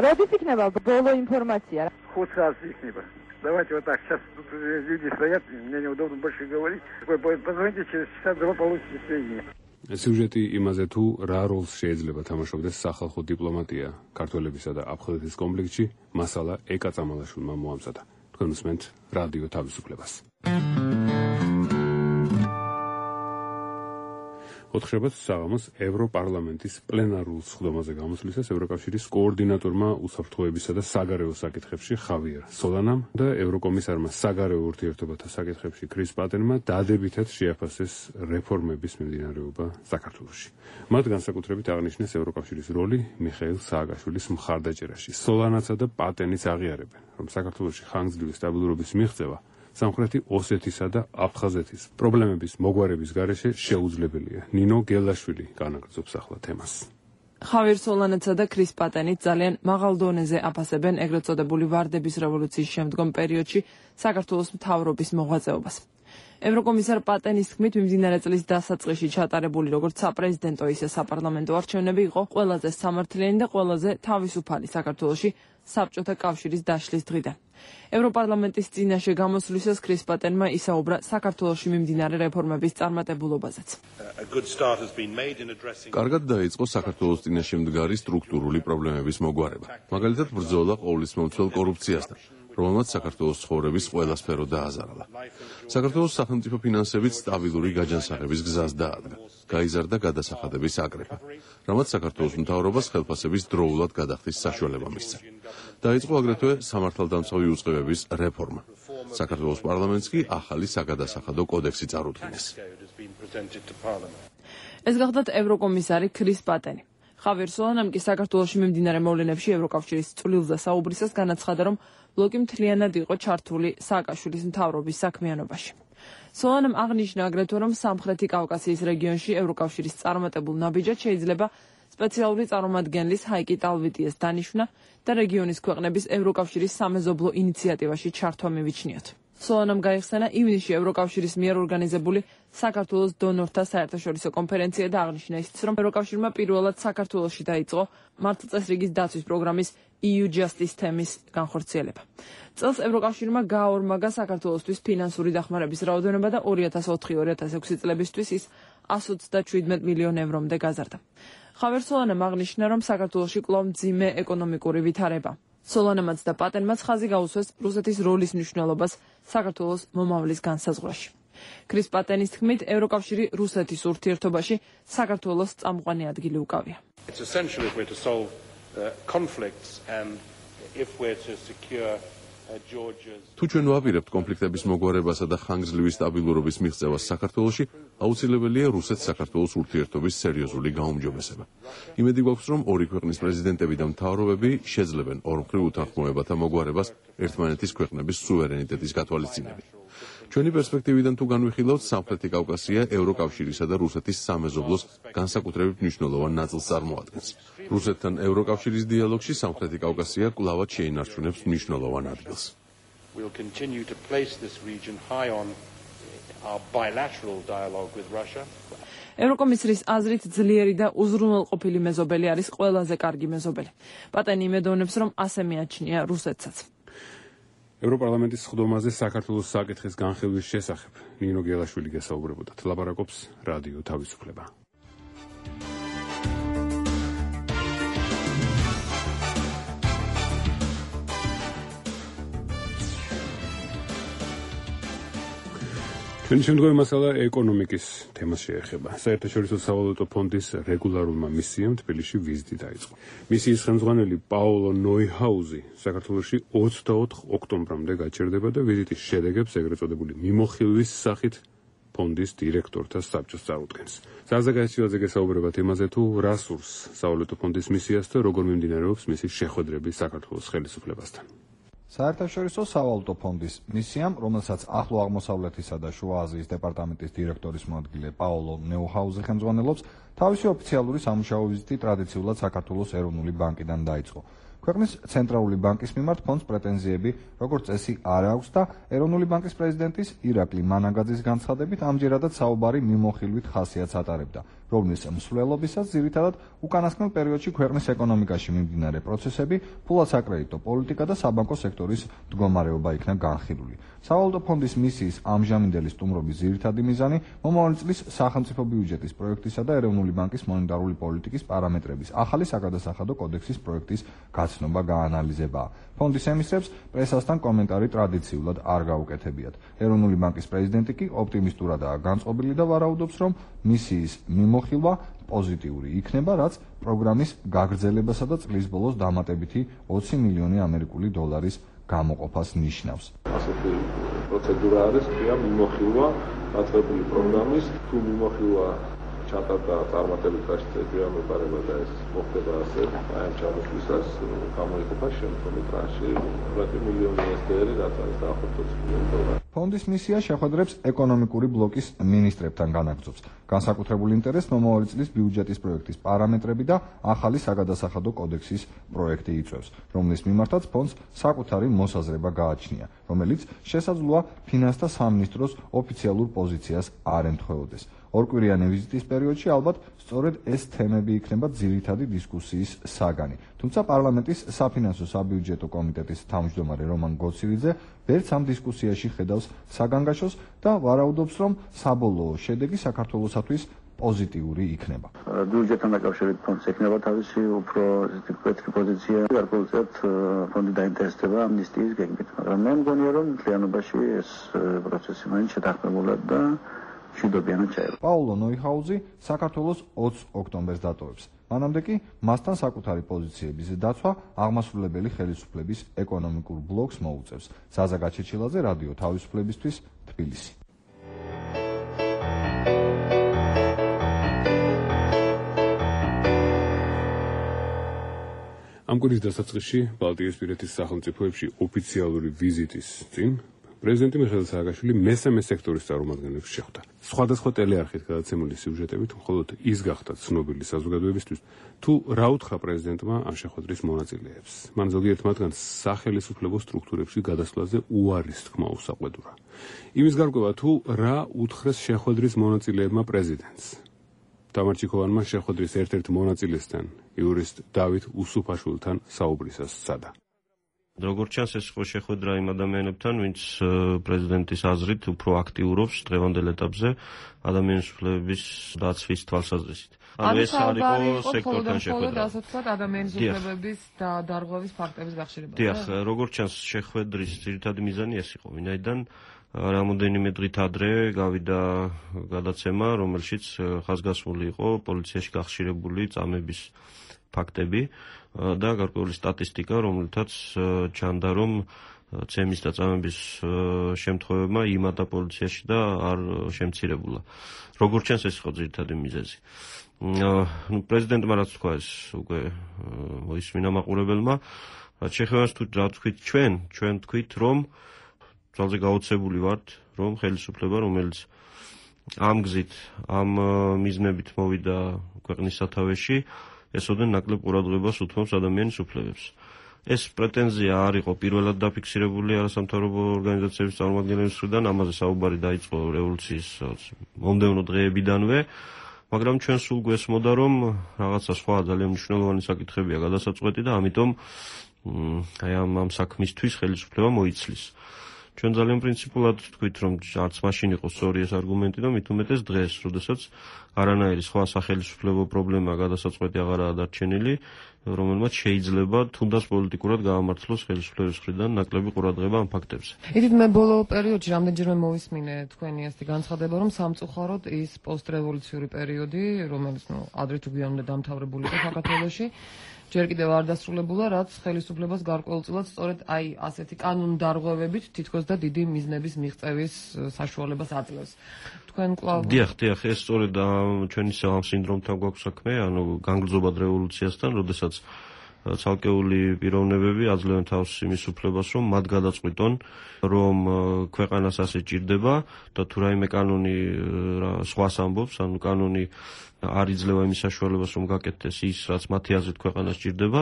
როდის იქნება ბოლო ინფორმაცია? 5 часов იქნება. Давайте вот так, сейчас тут люди стоят, мне неудобно больше говорить. Позвоните, через час-два получите сведения. სიუჟეტი იმაზე თუ რა როლს შეიძლება თამაშობდეს სახალხო დიპლომატია ქართველებისა და აფხაზეთის კონფლიქტში, მასალა ეკა წამალაშვილმა მოამზადა. თქვენ უსმენთ რადიო თავისუფლებას. 4 საღამოს ევროპარლამენტის პლენარულ სხდომაზე გამოსვლისას ევროკავშირის კოორდინატორმა უსაფრთხოებისა და საგარეო საკითხებში ხავიერ სოლანამ და ევროკომისარმა საგარეო ურთიერთობათა საკითხებში კრის პატენმა დადებითად შეაფასეს რეფორმების მიმდინარეობა საქართველოში. მათ განსაკუთრებით აღნიშნეს ევროკავშირის როლი მიხეილ სააკაშვილის მხარდაჭერაში. სოლანაცა და პატენიც აღიარებენ, რომ საქართველოში ხანგრძლივი სტაბილურობის მიღწევა სამხრეთი ოსეთისა და აფხაზეთის პრობლემების მოგვარების გარეშე შეუძლებელია. ნინო გელაშვილი განაგრძობს ახლა თემას. ხავიერ სოლანაცა და კრის პატენიც ძალიან მაღალ დონეზე აფასებენ ეგრეთ წოდებული ვარდების რევოლუციის შემდგომ პერიოდში საქართველოს მთავრობის მოღვაწეობას. ევროკომისარ პატენის თქმით, მიმდინარე წლის დასაწყისში ჩატარებული როგორც საპრეზიდენტო ისე საპარლამენტო არჩევნები იყო ყველაზე სამართლიანი და ყველაზე თავისუფალი საქართველოში საბჭოთა კავშირის დაშლის დღიდან. ევროპარლამენტის წინაშე გამოსვლისას კრის პატენმა ისაუბრა საქართველოში მიმდინარე რეფორმების წარმატებულობაზეც. კარგად დაიწყო საქართველოს წინაშე მდგარი სტრუქტურული პრობლემების მოგვარება. მაგალითად, ბრძოლა ყოვლისმომცველ კორუფციასთან, რომელმაც საქართველოს ცხოვრების ყველა სფერო დააზარალა. საქართველოს სახელმწიფო ფინანსებით სტაბილური გაჯანსაღების გზას დაადგა. გაიზარდა გადასახადების აკრეფა, რამაც საქართველოს მთავრობას ხელფასების დროულად გადახდის საშუალება მისცა. დაიწყო აგრეთვე სამართალდამცავი უწყებების რეფორმა. საქართველოს პარლამენტს კი ახალი საგადასახადო კოდექსი წარუდგინეს. ეს გახდათ ევროკომისარი ქრის პატენი. ხავიერ სოლანამ კი საქართველოში მიმდინარე მოვლენებში ევროკავშირის წვლილზე საუბრისას განაცხადა, რომ ბლოკი მთლიანად იყო ჩართული სააკაშვილის მთავრობის საქმიანობაში. სოლანამ აღნიშნა აგრეთვე, რომ სამხრეთი კავკასიის რეგიონში ევროკავშირის წარმატებულ ნაბიჯად შეიძლება სპეციალური წარმომადგენლის ჰაიკი ტალვიტიეს დანიშვნა და რეგიონის ქვეყნების ევროკავშირის სამეზობლო ინიციატივაში ჩართვა მივიჩნიოთ. სოლანამ გაიხსენა ივნისში ევროკავშირის მიერ ორგანიზებული საქართველოს დონორთა საერთაშორისო კონფერენცია და აღნიშნა ისიც, რომ ევროკავშირმა პირველად საქართველოში დაიწყო მართლწესრიგის დაცვის პროგრამის EU Justice თემის განხორციელება. წელს ევროკავშირმა გააორმაგა საქართველოსთვის ფინანსური დახმარების რაოდენობა და 2004-2006 წლებისთვის ის 127 მილიონ ევრომდე გაზარდა. ხავიერ სოლანამ აღნიშნა, რომ საქართველოში კვლავ მძიმე ეკონომიკური ვითარება. სოლანამაც და პატენმაც ხაზი გაუსვეს რუსეთის როლის მნიშვნელობას საქართველოს მომავლის განსაზღვრაში. ქრის პატენის თქმით, ევროკავშირი რუსეთის ურთიერთობაში საქართველოს წამყვანი ადგილი უკავია. თუ ჩვენ ვაპირებთ კონფლიქტების მოგვარებასა და ხანგრძლივი სტაბილურობის მიღწევას საქართველოში, აუცილებელია რუსეთ-საქართველოს ურთიერთობის სერიოზული გაუმჯობესება. იმედი გვაქვს, რომ ორი ქვეყნის პრეზიდენტები და მთავრობები შეძლებენ ორმხრივ უთანხმოებათა მოგვარებას ერთმანეთის ქვეყნების სუვერენიტეტის გათვალისწინებით. ჩვენი პერსპექტივიდან თუ განვიხილავთ, სამხრეთი კავკასია ევროკავშირისა და რუსეთის სამეზობლოს განსაკუთრებით მნიშვნელოვან ნაწილს წარმოადგენს. რუსეთთან ევროკავშირის დიალოგში სამხრეთი კავკასია კვლავად შეინარჩუნებს მნიშვნელოვან ადგილს. We'll continue to place this region high on our bilateral dialogue with Russia. ევროკომისრის აზრით ძლიერი და უზრუნველყოფილი მეზობელი არის ყველაზე კარგი მეზობელი. პატენი იმედოვნებს, რომ ასე მიაჩნია რუსეთსაც. ევროპარლამენტის სხდომაზე საქართველოს საკითხის განხილვის შესახებ ნინო გელაშვილი გესაუბრებოდათ. ლაპარაკობს რადიო თავისუფლება. ჩვენი შემდგომი მასალა ეკონომიკის თემას შეეხება. საერთაშორისო სავალუტო ფონდის რეგულარულმა მისიამ თბილისში ვიზიტი დაიწყო. მისიის ხელმძღვანელი პაოლო ნოიჰაუზი საქართველოში 24 ოქტომბრამდე გაჩერდება და ვიზიტის შედეგებს ეგრეთ წოდებული მიმოხილვის სახით ფონდის დირექტორთა საბჭოს წარუდგენს. ზაზა გაიციოძე გესაუბრება თემაზე, თუ რა სურს სავალუტო ფონდის მისიას და როგორ მიმდინარეობს მისი შეხვედრები საქართველოს ხელისუფლებასთან. საერთაშორისო სავალუტო ფონდის მისიამ, რომელსაც ახლო აღმოსავლეთისა და შუა აზიის დეპარტამენტის დირექტორის მოადგილე პაოლო ნოიჰაუზი ხელმძღვანელობს, თავისი ოფიციალური სამუშაო ვიზიტი ტრადიციულად საქართველოს ეროვნული ბანკიდან დაიწყო. ქვეყნის ცენტრალური ბანკის მიმართ ფონდს პრეტენზიები, როგორც წესი, არ აქვს და ეროვნული ბანკის პრეზიდენტის ირაკლი მანაგაძის განცხადებით ამჯერადაც საუბარი მიმოხილვით ხასიათს ატარებდა, რომლის მსვლელობისას ძირითადად უკანასკნელ პერიოდში ქვეყნის ეკონომიკაში მიმდინარე პროცესები, ფულადსაკრედიტო პოლიტიკა და საბანკო სექტორის მდგომარეობა იქნა განხილული. სავალუტო ფონდის მისიის ამჟამინდელი სტუმრობის ძირითადი მიზანი მომავალი წლის სახელმწიფო ბიუჯეტის პროექტისა და ეროვნული ბანკის მონეტარული პოლიტიკის პარამეტრების ახალი საგადასახადო კოდექსის პროექტის გაცნობა გაანალიზებაა. ფონდის ემისრებს პრესასთან კომენტარი ტრადიციულად არ გაუკეთებიათ. ეროვნული ბანკის პრეზიდენტი კი ოპტიმისტურადაა განწყობილი და ვარაუდობს, რომ მისიის მიმოხილვა პოზიტიური იქნება, რაც პროგრამის გაგრძელებასა და წლის ბოლოს დამატებითი 20 მილიონი ამერიკული დოლარის გამოყოფას ნიშნავს. ასეთი პროცედურა არის, ხია მიმოხილვა დაწყებული პროგრამის, თუ მიმოხილვა ჩატარდა წარმატებით გასწრებია მეპარება და ეს მოხდება ასე, აი ამ ჩამოსვლისას გამოიყოფა შემდგომი ტრანში 20 მილიონი ესდერი, რაც არის დაახლოებით 20 მილიონი დოლარი. ფონდის მისია შეხვედრებს ეკონომიკური ბლოკის მინისტრებთან განაგრძობს. განსაკუთრებულ ინტერესს მომავალი წლის ბიუჯეტის პროექტის პარამეტრები და ახალი საგადასახადო კოდექსის პროექტი იწვევს, რომლის მიმართაც ფონდს საკუთარი მოსაზრება გააჩნია, რომელიც შესაძლოა ფინანსთა სამინისტროს ოფიციალურ პოზიციას არ ემთხვეოდეს. ორკვირიანი ვიზიტის პერიოდში ალბათ სწორედ ეს თემები იქნება ძირითადი დისკუსიის საგანი. თუმცა პარლამენტის საფინანსო საბიუჯეტო კომიტეტის თავმჯდომარე რომან გოცირიძე ვერც ამ დისკუსიაში ხედავს საგანგაშოს და ვარაუდობს, რომ საბოლოო შედეგი საქართველოსათვის პოზიტიური იქნება. ბიუჯეტთან დაკავშირებით ფონდს ექნება თავისი უფრო ვეთრი პოზიცია. გარკვეულწილად ფონდი დაინტერესდება ამნისტიის გეგმით, მაგრამ მე მგონია რომ მთლიანობაში ეს პროცესი მაინც შეთანხმებულად და მშვიდობიანად ჩაება. პაულო ნოიხაუზი საქართველოს 20 ოქტომბერს დატოვებს. მანამდე კი მასთან საკუთარი პოზიციების დაცვა აღმასრულებელი ხელისუფლების ეკონომიკურ ბლოკს მოუწევს. ზაზა გაჩეჩილაძე, რადიო თავისუფლებისთვის, თბილისი. ამ კვირის დასაწყისში ბალტიისპირეთის სახელმწიფოებში ოფიციალური ვიზიტის წინ პრეზიდენტი მიხეილ სააკაშვილი მესამე სექტორის წარმომადგენლებს შეხვდა. სხვადასხვა ტელეარხით გადაცემული სიუჟეტებით მხოლოდ ის გახდა ცნობილი საზოგადოებისთვის, თუ რა უთხრა პრეზიდენტმა ამ შეხვედრის მონაწილეებს. მან ზოგიერთ მათგანს სახელისუფლებო სტრუქტურებში გადასვლაზე უარის თქმა უსაყვედურა. იმის გარკვევა, თუ რა უთხრეს შეხვედრის მონაწილეებმა პრეზიდენტს. თამარ ჩიქოვანმა შეხვედრის ერთ-ერთ მონაწილესთან, იურისტ დავით უსუფაშვილთან საუბრისას სცადა. როგორც ჩანს, ეს იყო შეხვედრა იმ ადამიანებთან, ვინც პრეზიდენტის აზრით უფრო აქტიურობს დღევანდელ ეტაპზე ადამიანის უფლებების დაცვის თვალსაზრისით. ეს არის სექტორთან შეხვედრა. ასე ვთქვათ, ადამიანის უფლებების და დარღვევის ფაქტების გახშირება. დიახ, როგორც ჩანს, შეხვედრის ძირითადი მიზანი ეს იყო, ვინაიდან რამოდენიმე დღით ადრე გავიდა გადაცემა, რომელშიც ხაზგასმული იყო პოლიციაში გახშირებული წამების ფაქტები და გარკვეული სტატისტიკა, რომელთაც ჩანდა, რომ ცემის და წამების შემთხვევებმა იმატა პოლიციაში და არ შემცირებულა. როგორც ჩანს, ეს იყო ძირითადი მიზეზი. პრეზიდენტმა რაც თქვა, ეს უკვე მოისმინა მაყურებელმა, რაც შეეხება თუ რა თქვით ჩვენ თქვით, რომ ძალზე გაოცებული ვართ, რომ ხელისუფლება, რომელიც ამ გზით, ამ მიზნებით მოვიდა ქვეყნის სათავეში, ესოდენ ნაკლებ ყურადღებას უთმობს ადამიანის უფლებებს. ეს პრეტენზია არ იყო პირველად დაფიქსირებული არასამთავრობო ორგანიზაციების წარმომადგენლების მხრიდან, ამაზე საუბარი დაიწყო რევოლუციის მომდევნო დღეებიდანვე, მაგრამ ჩვენ სულ გვესმოდა, რომ რაღაცა სხვა ძალიან მნიშვნელოვანი საკითხებია გადასაწყვეტი და ამიტომ აი ამ საქმისთვის ხელისუფლება მოიცლის. ჩვენ ძალიან პრინციპულად თქვით, რომ არც მაშინ იყო სწორი ეს არგუმენტი და მით უმეტეს დღეს, როდესაც არანაირი სხვა სახელისუფლებო პრობლემა გადასაწყვეტი აღარაა დარჩენილი, რომელმაც შეიძლება თუნდაც პოლიტიკურად გაამართლოს ხელისუფლების მხრიდან ნაკლები ყურადღება ამ ფაქტებზე. ითით მე ბოლო პერიოდში რამდენჯერმე მოვისმინე თქვენი ასეთი განცხადება, რომ სამწუხაროდ ის პოსტრევოლუციური პერიოდი, რომელიც ადრე თუ გვიანამდე დამთავრებული იყო საქართველოში, ჯერ კიდევ არ დასრულებულა, რაც ხელისუფლებას გარკვეულწილად სწორედ აი ასეთი კანონდარღვევებით თითქოს და დიდი მიზნების მიღწევის საშუალებას აძლევს. თქვენ კვლავ დიახ, ეს სწორედ ჩვენი ამ სინდრომთან გვაქვს საქმე, ანუ განგრძობად რევოლუციასთან, როდესაც ცალკეული პიროვნებები აძლევენ თავს იმის უფლებას, რომ მათ გადაწყვიტონ, რომ ქვეყანას ასე ჭირდება და თუ რაიმე კანონი სხვას ამბობს, ანუ კანონი არ იძლევა იმის საშუალებას, რომ გაკეთდეს ის, რაც მათი აზრით ქვეყანას ჭირდება,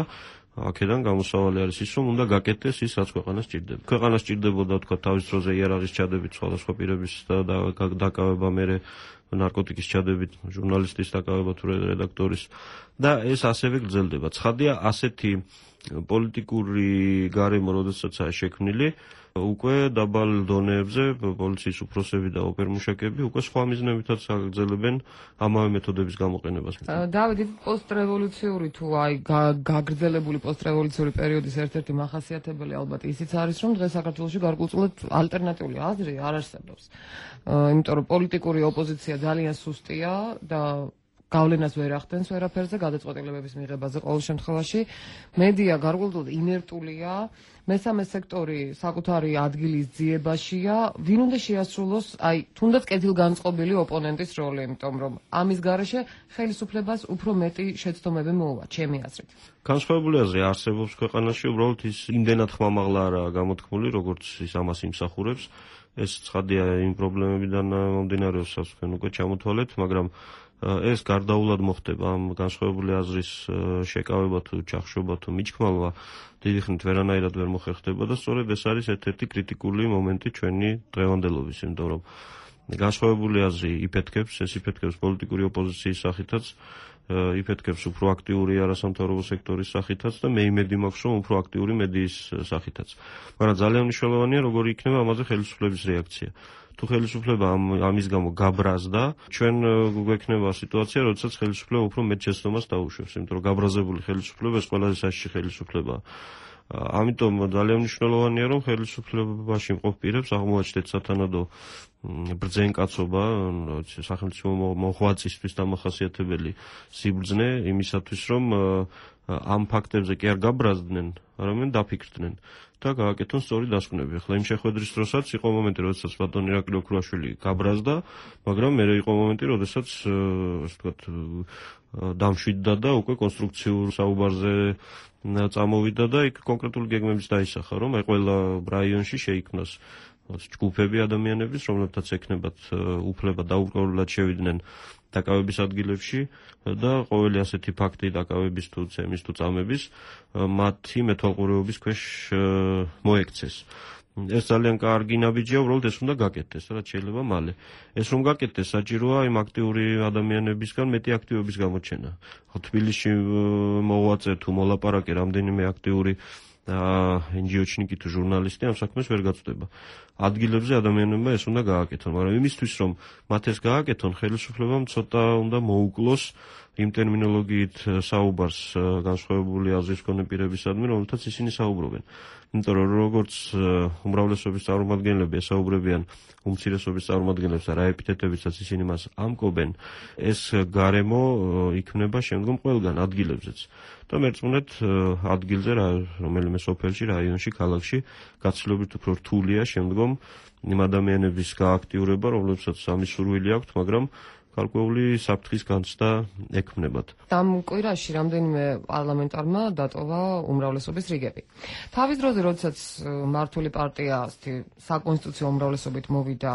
აქედან გამოსავალი არის ის, რომ უნდა გაკეთდეს ის, რაც ქვეყანას ჭირდება. ქვეყანას ჭირდებოდა, თქვა, თავის დროზე იარაღის ჩადებით სხვადასხვა პირების დაკავება, მერე ნარკოტიკის ჩადებით, ჟურნალისტის დაკავება თუ რედაქტორის და ეს ასევე გრძელდება. ცხადია, ასეთი პოლიტიკური გარემო, როდესაცაა შექმნილი, უკვე დაბალ დონეებზე პოლიციის უფროსები და ოპერმუშაკები უკვე სხვა მიზნებითაც აგრძელებენ ამავე მეთოდების გამოყენებას. დავით, პოსტრევოლუციური თუ აი გაგრძელებული პოსტრევოლუციური პერიოდის ერთ-ერთი მახასიათებელი ალბათ ისიც არის, რომ დღეს საქართველოში გარკვეულწილად ალტერნატიული აზრი არ არსებობს. იმიტომ რომ პოლიტიკური ოპოზიცია ძალიან სუსტია და გავლენას ვერ ახდენს ვერაფერზე გადაწყვეტილებების მიღებაზე ყოველ შემთხვევაში. მედია გარკვეულწილად ინერტულია, მესამე სექტორი საკუთარი ადგილის ძიებაშია, ვინ უნდა შეასრულოს აი თუნდაც კეთილგანწყობილი ოპონენტის როლი, იმიტომ რომ ამის გარეშე ხელისუფლებას უფრო მეტი შეცდომები მოუვა, ჩემი აზრით. განსხვავებული აზრი არსებობს ქვეყანაში, უბრალოდ ის იმდენად ხმამაღლა არაა გამოთქმული, როგორც ის ამას იმსახურებს. ეს ცხადია იმ პრობლემებიდან მომდინარეობს, რაც თქვენ უკვე ჩამოთვალეთ, მაგრამ ეს გარდაულად მოხდება ამ განსხვავებული აზრის შეკავება თუ ჩახშობა თუ მიჩქმალვა დიდი ხნით ვერანაირად ვერ მოხერხდება და სწორედ ეს არის ერთ-ერთი კრიტიკული მომენტი ჩვენი დღევანდელობის, იმიტომ რომ განსხვავებული აზრი იფეთქებს, ეს იფეთქებს პოლიტიკური ოპოზიციის სახითაც იფეთქებს უფრო აქტიური არასამთავრობო სექტორის სახითაც და მე იმედი მაქვს, რომ უფრო აქტიური მედიის სახითაც. მაგრამ ძალიან მნიშვნელოვანია, როგორი იქნება ამაზე ხელისუფლების რეაქცია. თუ ხელისუფლება ამის გამო გაბრაზდა, ჩვენ გვექნება სიტუაცია, როდესაც ხელისუფლება უფრო მეტ შეცდომას დაუშვებს, იმიტომ რომ გაბრაზებული ხელისუფლება ეს ყველაზე საშიში ხელისუფლებაა. ამიტომ ძალიან მნიშვნელოვანია, რომ ხელისუფლებაში მყოფ პირებს აღმოაჩნდეთ სათანადო ბრძენკაცობა, სახელმწიფო მოღვაწისთვის დამახასიათებელი სიბრძნე იმისათვის, რომ ამ ფაქტებზე კი არ გაბრაზდნენ, არამედ დაფიქრდნენ და გააკეთონ სწორი დასკვნები. ახლა იმ შეხვედრის დროსაც იყო მომენტი, როდესაც ბატონი ირაკლი ოქრუაშვილი გაბრაზდა, მაგრამ მერე იყო მომენტი, როდესაც ასე ვთქვათ დამშვიდდა და უკვე კონსტრუქციურ საუბარზე წამოვიდა და იქ კონკრეტული გეგმების დაისახა, რომ აი ყველა რაიონში შეიქმნას ჯგუფები ადამიანების, რომლებთაც ექნებათ უფლება დაუყოვნებლად შევიდნენ დაკავების ადგილებში და ყოველი ასეთი ფაქტი დაკავების თუ ცემის თუ წამების მათი მეთვალყურეობის ქვეშ მოექცეს. ეს ძალიან კარგი ნაბიჯია, უბრალოდ ეს უნდა გაკეთდეს, რაც შეიძლება მალე. ეს რომ გაკეთდეს, საჭიროა იმ აქტიური ადამიანებისგან მეტი აქტივობის გამოჩენა. თბილისში მოღვაწე თუ მოლაპარაკე რამდენიმე აქტიური NGO-ჩნიკი თუ ჟურნალისტი ამ საქმეს ვერ გაწვდება. ადგილებზე ადამიანებმა ეს უნდა გააკეთონ, მაგრამ იმისთვის რომ მათ ეს გააკეთონ, ხელისუფლებამ ცოტა უნდა მოუკლოს იმ ტერმინოლოგიით საუბარს განსხვავებული აზრის მქონე პირებისადმი, რომელთაც ისინი საუბრობენ. იმიტომ რომ როგორც უმრავლესობის წარმომადგენლები ესაუბრებიან უმცირესობის წარმომადგენლებს და რა ეპითეტებიცაც ისინი მას ამკობენ, ეს გარემო იქმნება შემდგომ ყველგან ადგილებზეც. და მერწმუნეთ ადგილზე რომელიმე სოფელში, რაიონში, ქალაქში გაცილებით უფრო რთულია შემდგომ იმ ადამიანების გააქტიურება, რომლებსაც ამის სურვილი აქვთ, მაგრამ გარკვეული საფრთხის განცდა ექმნებათ. ამ კვირაში რამდენიმე პარლამენტარმა დატოვა უმრავლესობის რიგები. თავის დროზე, როდესაც მართული პარტია საკონსტიტუციო უმრავლესობით მოვიდა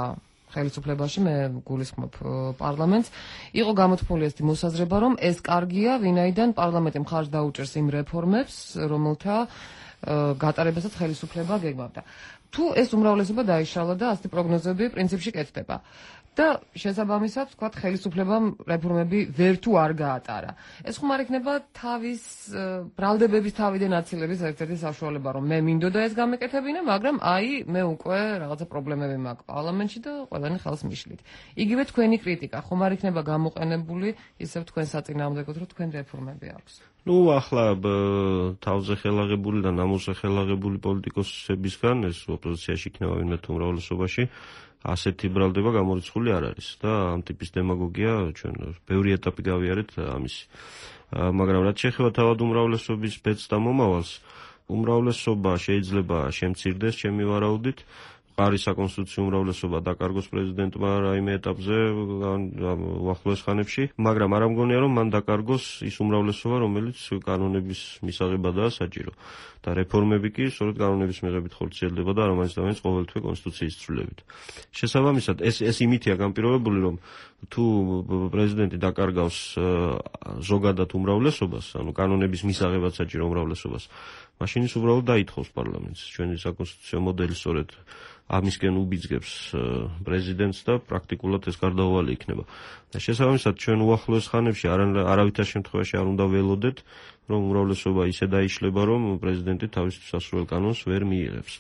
ხელისუფლებაში, მე გულისხმობ პარლამენტს, იყო გამოთქმული ეს მოსაზრება, რომ ეს კარგია, ვინაიდან პარლამენტი მხარს დაუჭერს იმ რეფორმებს, რომელთა გატარებასაც ხელისუფლება გეგმავდა. თუ ეს უმრავლესობა დაიშალა და ასეთი პროგნოზები პრინციპში კეთდება. და შესაბამისად, ვთქვათ, ხელისუფლებამ რეფორმები ვერ თუ არ გაატარა. ეს ხომ არ იქნება თავის ბრალდებების თავიდან აცილების ერთ-ერთი საშუალება, რომ მე მინდოდა ეს გამეკეთებინა, მაგრამ აი მე უკვე რაღაცა პრობლემები მაქვს პარლამენტში და ყველანი ხელს მიშლით. იგივე თქვენი კრიტიკა ხომ არ იქნება გამოყენებული ისევ თქვენ საწინააღმდეგოდ, რომ თქვენ რეფორმები აქვს. ახლა თავზე ხელაღებული და ნამოსზე ხელაღებული პოლიტიკოსებისგან ეს ოპოზიციაში იქნება ვინმე თუ უმრავლესობაში ასეთი ბრალდება გამორიცხული არ არის და ამ ტიპის დემაგოგია ჩვენ ბევრი ეტაპი გავიარეთ ამისი. მაგრამ რაც შეეხება თავად უმრავლესობის ბედს და მომავალს, უმრავლესობა შეიძლება შემცირდეს ჩემი ვარაუდით, მყარი საკონსტიტუციო უმრავლესობა დაკარგოს პრეზიდენტმა რაიმე ეტაპზე უახლოეს ხანებში, მაგრამ არ ამგონია რომ მან დაკარგოს ის უმრავლესობა, რომელიც კანონების მისაღებადაა საჭირო. და რეფორმები კი სწორედ კანონების მიღებით ხორციელდება და არამაინც და მაინც ყოველთვე კონსტიტუციის ცვლილებით. შესაბამისად, ეს იმითია განპირობებული, რომ თუ პრეზიდენტი დაკარგავს ზოგადად უმრავლესობას, ანუ კანონების მისაღებად საჭირო უმრავლესობას, მაშინ ის უბრალოდ დაითხოვს პარლამენტს. ჩვენი საკონსტიტუციო მოდელი სწორედ ამისკენ უბიძგებს პრეზიდენტს და პრაქტიკულად ეს გარდაუვალი იქნება. და შესაბამისად, ჩვენ უახლოეს ხანებში არავითარ შემთხვევაში არ უნდა ველოდეთ, რომ უმრავლესობა ისე დაიშლება, რომ პრეზიდენტი თავის სასურველ კანონს ვერ მიიღებს.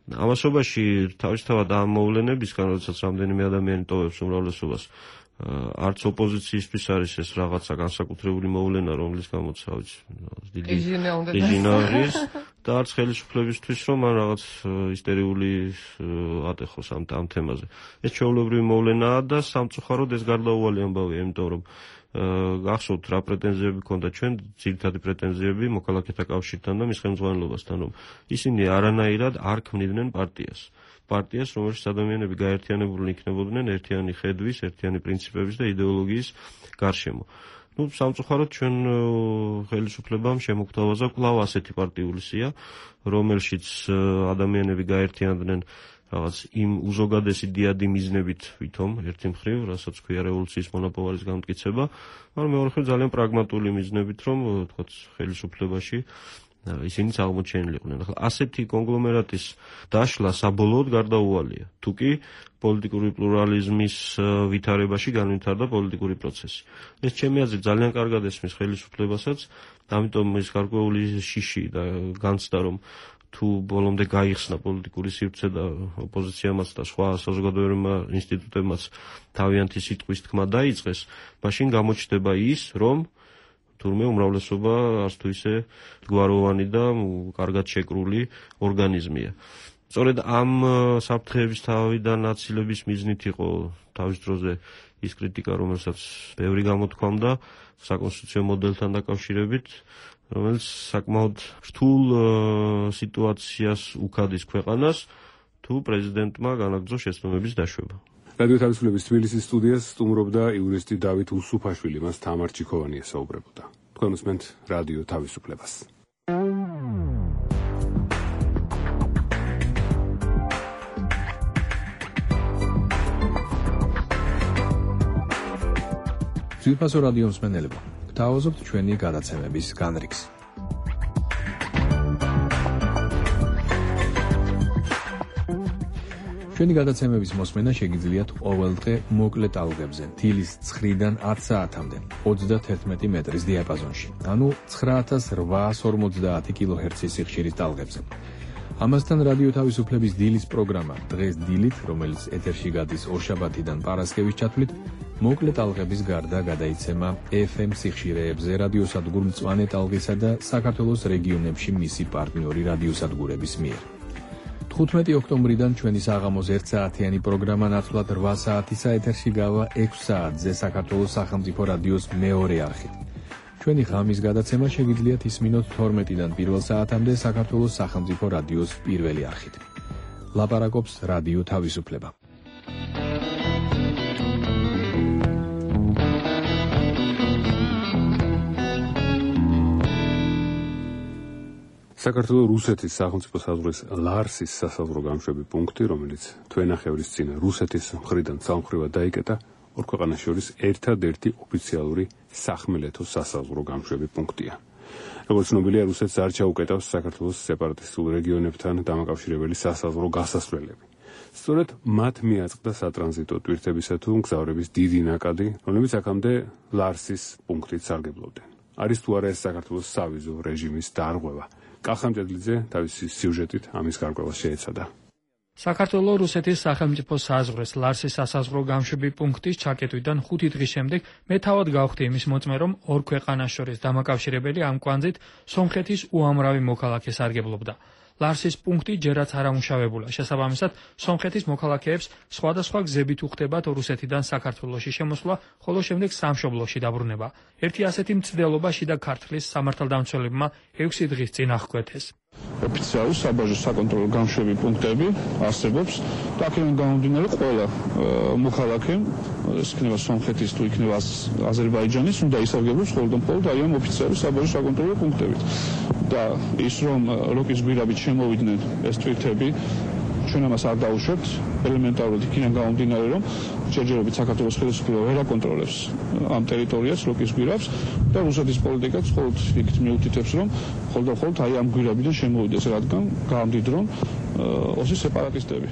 ამასობაში თავისთავად ამ მოვლენებისგან, როდესაც რამდენიმე ადამიანი ტოვებს უმრავლესობას, არც ოპოზიციისთვის არის ეს რაღაცა განსაკუთრებული მოვლენა, რომლის გამოც დიდი არის და არც ხელისუფლებისთვის, რომ ან რაღაც ისტერიული ატეხოს ამ თემაზე. ეს ჩვეულებრივი მოვლენაა და სამწუხაროდ ეს გარდაუვალი ამბავია, იმიტომ რომ გახსოვთ რა პრეტენზიები ჰქონდა ჩვენ, ძირითადი პრეტენზიები მოქალაქეთა კავშირთან და მის ხელმძღვანელობასთან, რომ ისინი არანაირად არ ქმნიდნენ პარტიას, რომელშიც ადამიანები გაერთიანებულნი იქნებოდნენ ერთიანი ხედვის, ერთიანი პრინციპების და იდეოლოგიის გარშემო. სამწუხაროდ ჩვენ ხელისუფლებამ შემოგთავაზა კვლავ ასეთი პარტიული სია, რომელშიც ადამიანები გაერთიანდნენ რაღაც იმ უზოგადესი დიადი მიზნებით ვითომ ერთი მხრივ, რასაც ქვია რევოლუციის მონაპოვარის გამტკიცება, მაგრამ მეორე მხრივ ძალიან პრაგმატული მიზნებით, რომ თქვათ ხელისუფლებაში ისინიც აღმოჩენილიყვნენ. ახლა ასეთი კონგლომერატის დაშლა საბოლოოდ გარდაუვალია. თუკი პოლიტიკური პლურალიზმის ვითარებაში განვითარდა პოლიტიკური პროცესი. ეს ჩემი აზრით ძალიან კარგად ესმის ხელისუფლებასაც, ამიტომ ის გარკვეული შიში და განცდა რომ თუ ბოლომდე გაიხსნა პოლიტიკური სივრცე და ოპოზიციამაც და სხვა საზოგადოებრივმა ინსტიტუტებმაც თავიანთი სიტყვის თქმა დაიწყეს, მაშინ გამოჩნდება ის, რომ თურმე უმრავლესობა არც თუ ისე გვაროვანი და კარგად შეკრული ორგანიზმია. სწორედ ამ საფრთხეების თავიდან აცილების მიზნით იყო თავის დროზე ის კრიტიკა, რომელსაც ბევრი გამოთქვამდა საკონსტიტუციო მოდელთან დაკავშირებით, რომელიც საკმაოდ რთულ სიტუაციას უქადის ქვეყანას, თუ პრეზიდენტმა განაგრძო შეცდომების დაშვება. რადიო თავისუფლების თბილისის სტუდიას სტუმრობდა იურისტი დავით უსუფაშვილი, მას თამარ ჩიქოვანი ესაუბრებოდა. თქვენ უსმენთ რადიო თავისუფლებას. ძვირფასო რადიო მსმენელებო, გთავაზობთ ჩვენი გადაცემების განრიგს. ჩვენი გადაცემების მოსმენა შეგიძლიათ ყოველდღე მოკლე ტალღებზე, თილის 9-დან 10 საათამდე, 31 მეტრის დიაპაზონში, ანუ 9850 კილოჰერცის სიხშირის ტალღებზე. ამასთან რადიო თავისუფლების დილის პროგრამა დღეს დილით, რომელიც ეთერში გადის ორშაბათიდან პარასკევის ჩათვლით, მოკლე ტალღების გარდა გადაიცემა FM სიხშირეებზე რადიოსადგურ მწვანე ტალღისა და საქართველოს რეგიონებში მისი პარტნიორი რადიოსადგურების მიერ. 15 ოქტომბრიდან ჩვენი საღამოს 1 საათიანი პროგრამა ნაცვლად 8 საათისა ეთერში გავა 6 საათზე საქართველოს სახელმწიფო რადიოს მეორე არხით. ჩვენი ღამის გადაცემა შეგიძლიათ ისმინოთ 12-დან 1 საათამდე საქართველოს სახელმწიფო რადიოს პირველი არხით. ლაპარაკობს რადიო თავისუფლება. საქართველოს რუსეთის სახელმწიფო საზღვრის ლარსის სასაზღვრო გამშვები პუნქტი, რომელიც თვენახევრის წინ რუსეთის მხრიდან სამხრივად დაიკეტა, ორ ქვეყანას შორის ერთადერთი ოფიციალური სახმელეთო სასაზღვრო გამშვები პუნქტია. როგორც ცნობილია, რუსეთს არ ჩაუკეტავს საქართველოს სეპარატისტულ რეგიონებთან დამაკავშირებელი სასაზღვრო გასასვლელები. სწორედ მათ მიაწყდა სატრანზიტო ტვირთებისა თუ მგზავრების დიდი ნაკადი, რომლებიც აქამდე ლარსის პუნქტით სარგებლობდნენ. არის თუ არა ეს საქართველოს სავიზო რეჟიმის დარღვევა? კახამჭედლიძე თავისი სიუჟეტით ამის გარკვევას შეეცადა. საქართველოს რუსეთის სახელმწიფო საზღვრის ლარსის სასაზღვრო გამშვები პუნქტის ჩაკეტვიდან 5 დღის შემდეგ მე თავად გავხდი იმის მოწმე, რომ ორ ქვეყანას შორის დამაკავშირებელი ამ კვანძით სომხეთის უამრავი მოქალაქე სარგებლობდა. ლარსის პუნქტი ჯერაც არ ამუშავებულა. შესაბამისად, სომხეთის მოქალაქეებს სხვადასხვა გზებით უხდებათ რუსეთიდან საქართველოში შემოსვლა, ხოლო შემდეგ სამშობლოში დაბრუნება. ერთი ასეთი მცდელობა შიდა ქართლის სამართალდამცველებმა 6 დღის წინ აღკვეთეს. ოფიციალური საბაჟო საკონტროლო გამშვები პუნქტები არსებობს და აქედან გამომდინარე ყველა მოქალაქე, ეს იქნება სომხეთის თუ იქნება აზერბაიჯანის, უნდა ისარგებლოს მხოლოდ აი ამ ოფიციალური საბაჟო საკონტროლო პუნქტებით. და ის რომ როკის გვირაბით შემოვიდნენ ეს ტვირთები, ჩვენ ამას არ დაუშვებთ, ელემენტარულად იქიდან გამომდინარე, რომ ჯერჯერობით საქართველოს ხელისუფლება ვერ აკონტროლებს ამ ტერიტორიას, როკის გვირაბს და რუსეთის პოლიტიკაც მხოლოდ იქით მიუთითებს, რომ მხოლოდ აი ამ გვირაბიდან შემოვიდეს, რადგან გამდიდრონ ოსი სეპარატისტები.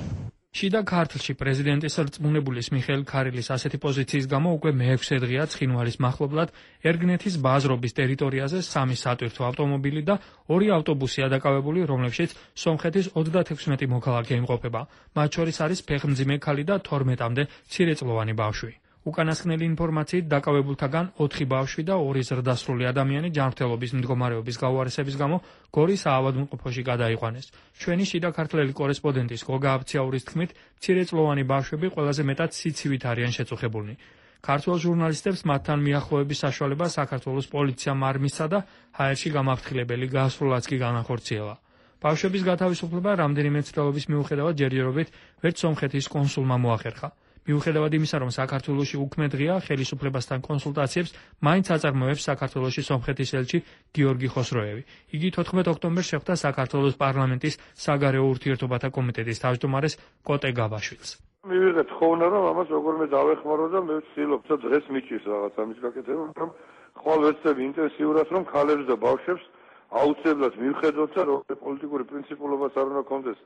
შიდა ქართლში პრეზიდენტის რწმუნებულის მიხეილ ქარილის ასეთი პოზიციის გამო უკვე მე-6 დღეა ცხინვალის მახლობლად ერგნეთის ბაზრობის ტერიტორიაზე 3 სატვირთო ავტომობილი და 2 ავტობუსია დაკავებული, რომლებშიც სომხეთის 36 მოქალაქე იმყოფება. მათ შორის არის ფეხმძიმე ქალი და 12-მდე მცირეწლოვანი ბავშვი. უკანასკნელი ინფორმაციით დაკავებულთაგან 4 ბავშვი და 2 ზრდასრული ადამიანი ჯანმრთელობის მდგომარეობის გაუარესების გამო გორის საავადმყოფოში გადაიყვანეს. ჩვენი შიდა ქართლელი კორესპონდენტის გოგა აბციაურის თქმით, მცირეწლოვანი ბავშვები ყველაზე მეტად სიცივით არიან შეწუხებულნი. ქართველ ჟურნალისტებს მათთან მიახლოების საშუალება საქართველოს პოლიციამ არ მისცა და ჰაერში გამაფრთხილებელი გასვლაც კი განახორციელა. ბავშვების გათავისუფლება რამდენიმე ცდელობის მიუხედავად ჯერჯერობით ვერც სომხეთის კონსულმა მოახერხა. მიუხედავად იმისა, რომ საქართველოში უქმე დღეა ხელისუფლებასთან კონსულტაციებს მაინც აწარმოებს საქართველოში სომხეთის ელჩი გიორგი ხოსროევი. იგი 14 ოქტომბერს შეხვდა საქართველოს პარლამენტის საგარეო ურთიერთობათა კომიტეტის თავმჯდომარეს კოტე გაბაშვილს. მივიღეთ ხოვნა, რომ ამას როგორმე დავეხმარო და მე ვცდილობ და დღეს მიჭირს რაღაც ამის გაკეთება, რომ ხვალ ვეცდები ინტენსიურად, რომ ქალებს და ბავშვებს აუცილებლად მივხედოთ და რომ პოლიტიკური პრინციპულობაც არ უნდა კონდეს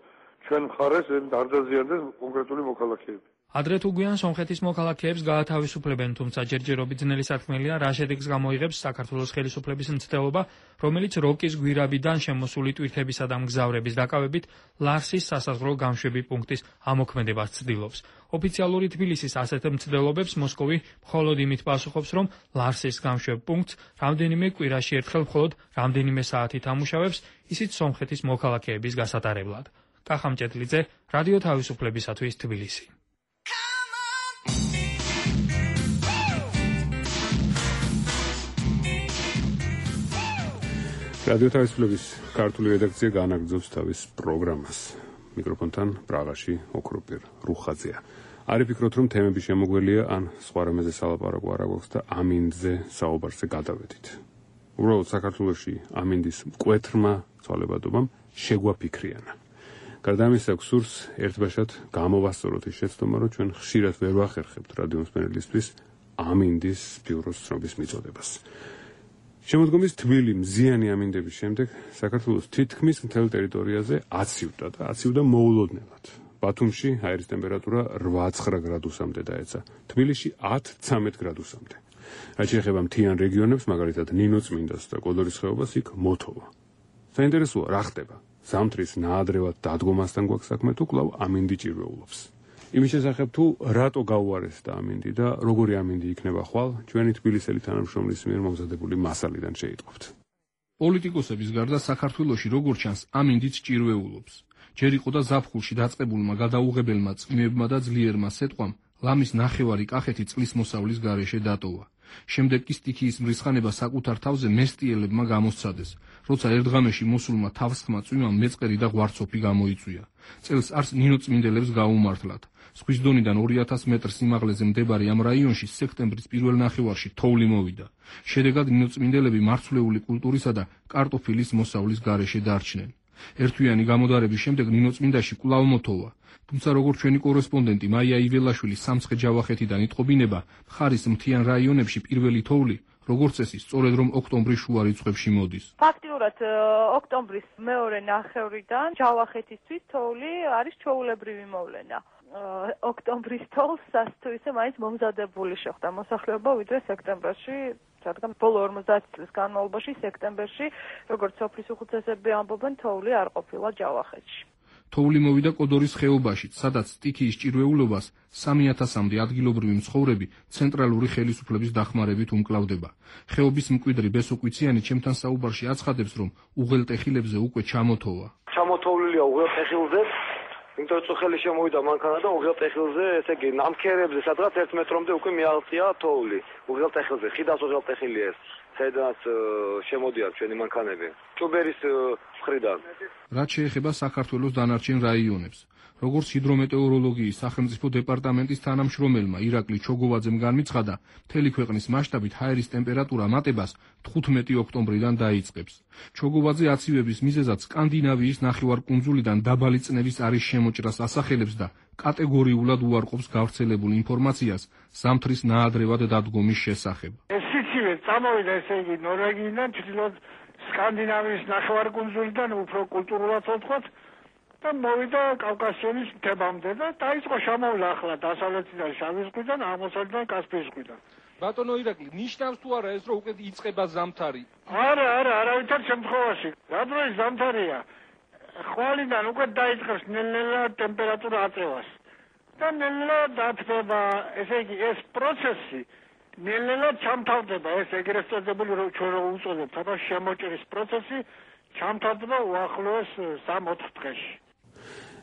ჩვენ მხარეს არ დაზიანდეს კონკრეტული მოქალაქეები. ადრე თუ გვიან სომხეთის მოქალაქეებს გაათავისუფლებენ, თუმცა ჯერჯერობით ძნელი საქმეა, რა შედეგს გამოიღებს საქართველოს ხელისუფლების მცდელობა, რომელიც როკის გვირაბიდან შემოსული ტვირთებისა და მგზავრების დაკავებით ლარსის სასაზღვრო გამშვები პუნქტის ამოქმედებას ცდილობს. ოფიციალური თბილისის ასეთ მცდელობებს მოსკოვი მხოლოდ იმით პასუხობს, რომ ლარსის გამშვებ პუნქტს რამდენიმე კვირაში ერთხელ მხოლოდ რამდენიმე საათით ამუშავებს, ისიც სომხეთის მოქალაქეების გასატარებლად. კახამ ჭედლიძე, რადიო თავისუფლებისათვის თბილისი. რადიო თავისუფლების ქართული რედაქცია განაგრძობს თავის პროგრამას. მიკროფონთან პრაღაში ოქროპირ რუხაძეა. არ ვფიქრობთ, რომ თემები შემოგველია ან სხვა რამეზე სალაპარაკო არ აქვს და ამინდზე საუბარზე გადავედით. უბრალოდ საქართველოში ამინდის მკვეთრმა ცვალებადობამ შეგვაფიქრიანა. გარდა ამისა, გვსურს ერთბაშად გამოვასწოროთ ის შეცდომა, რომ ჩვენ ხშირად ვერ ვახერხებთ რადიო მსმენელისთვის ამინდის ბიუროს ცნობის მიწოდებას. შემოდგომის თბილი მზიანი ამინდების შემდეგ საქართველოს თითქმის მთელ ტერიტორიაზე აცივდა და აცივდა მოულოდნელად. ბათუმში აირის ტემპერატურა 8-9 გრადუსამდე დაეცა, თბილისში 10-13 გრადუსამდე. რაც შეეხება მთიან რეგიონებს, მაგალითად ნინოწმინდას და კოდორის ხეობას, იქ მოთოვა. საინტერესოა, რა ხდება? ზამთრის ნაადრევად დადგომასთან გვაქვს საქმე თუ კვლავ ამინდი ჭირვეულობს. იმის შესახებ თუ რატო გაუარესდა ამინდი და როგორი ამინდი იქნება ხვალ, ჩვენი თბილისელი თანამშრომლის მიერ მომზადებული მასალიდან შეიტყობთ. პოლიტიკოსების გარდა საქართველოში როგორც ჩანს ამინდიც ჭირვეულობს. ჯერ იყო და ზაფხულში დაწყებულმა გადაუღებელმა წვიმებმა და ძლიერმა სეტყვამ ლამის ნახევარი კახეთი წყლის მოსავლის გარეშე დატოვა. შემდეგ კი სტიქიის მრისხანება საკუთარ თავზე მესტიელებმა გამოსცადეს, როცა ერთღამეში მოსულმა თავსხმა წვიმამ მეწყერი და ღვარცოფი გამოიწვია. წელს არს ნინოწმინდელებს გაუმართლათ. ზღვის დონიდან 2000 მეტრ სიმაღლეზე მდებარე ამ რაიონში სექტემბრის პირველ ნახევარში თოვლი მოვიდა. შედეგად ნინოწმინდელები მარცვლეული კულტურისა და კარტოფილის მოსავლის გარეშე დარჩნენ. ერთვიანი გამოდარების შემდეგ ნინოწმინდაში კვლავ მოთოვა. თუმცა როგორც ჩვენი კორესპონდენტი მაია იველაშვილი სამცხე-ჯავახეთიდან იტყობინება, მხარის მთიან რაიონებში პირველი თოვლი, როგორც წესი, სწორედ რომ ოქტომბრის შუა რიცხვებში მოდის. ფაქტიურად ოქტომბრის მეორე ნახევრიდან ჯავახეთისთვის თოვლი არის ჩვეულებრივი მოვლენა. ოქტომბრის თოვლს თუ ისე მაინც მომზადებული შეხვდა მოსახლეობა ვიდრე სექტემბერში, რადგან ბოლო 50 წლის განმავლობაში სექტემბერში, როგორც სოფლის უხუცესები ამბობენ, თოვლი არ ყოფილა ჯავახეთში. თოვლი მოვიდა კოდორის ხეობაშიც, სადაც სტიქიის ჭირვეულობას 3000-მდე ადგილობრივი მცხოვრები ცენტრალური ხელისუფლების დახმარებით უმკლავდება. ხეობის მკვიდრი ბესოკვიციანი ჩემთან საუბარში აცხადებს, რომ უღელტეხილებზე უკვე ჩამოთოვა. ჩამოთოვლილია უღელტეხილზე, იმიტომ რომ წუხელი შემოვიდა მანქანა და უღელტეხილზე, ესე იგი ნამქერებზე სადღაც 1 მეტრამდე უკვე მიაღწია თოვლი. უღელტეხილზე, ხიდას უღელტეხილი ეს, სადაც შემოდიან ჩვენი მანქანები. ჭუბერის მხრიდან. რაც შეეხება საქართველოს დანარჩენ რაიონებს, როგორც ჰიდრომეტეოროლოგიის სახელმწიფო დეპარტამენტის თანამშრომელმა ირაკლი ჩოგოვაძემ განმიცხადა, მთელი ქვეყნის მასშტაბით ჰაერის ტემპერატურა მატებას 15 ოქტომბრიდან დაიწყებს. ჩოგოვაძე აცივების მიზეზად სკანდინავიის ნახევარკუნძულიდან დაბალი წნევის არის შემოჭრას ასახელებს და კატეგორიულად უარყოფს გავრცელებულ ინფორმაციას ზამთრის ნაადრევად დადგომის შესახებ. ეს სიცივე წამოვიდა, ესე იგი, ნორვეგიიდან ჩრდილოეთ სკანდინავიის ნახევარკუნძულიდან უფრო კულტურულად ვთქვათ და მოვიდა კავკასიონის მთებამდე და დაიწყო შემოვლა ახლა დასავლეთიდან შავი ზღვიდან, აღმოსავლეთიდან კასპიის ზღვიდან. ბატონო ირაკლი, ნიშნავს თუ არა ეს რომ უკვე იწყება ზამთარი? არა, არავითარ შემთხვევაში. რა დროის ზამთარია? ხვალიდან უკვე დაიწყებს ნელ-ნელა ტემპერატურა აწევას. და ნელ-ნელა დათბება, ესე იგი, ეს პროცესი ნელ-ნელა ჩამთავრდება, ეს ეგრეთ წოდებული ჩვენ რო უწოდებთ, აბა შემოჭრის პროცესი ჩამთავრდება უახლოეს 3-4 დღეში.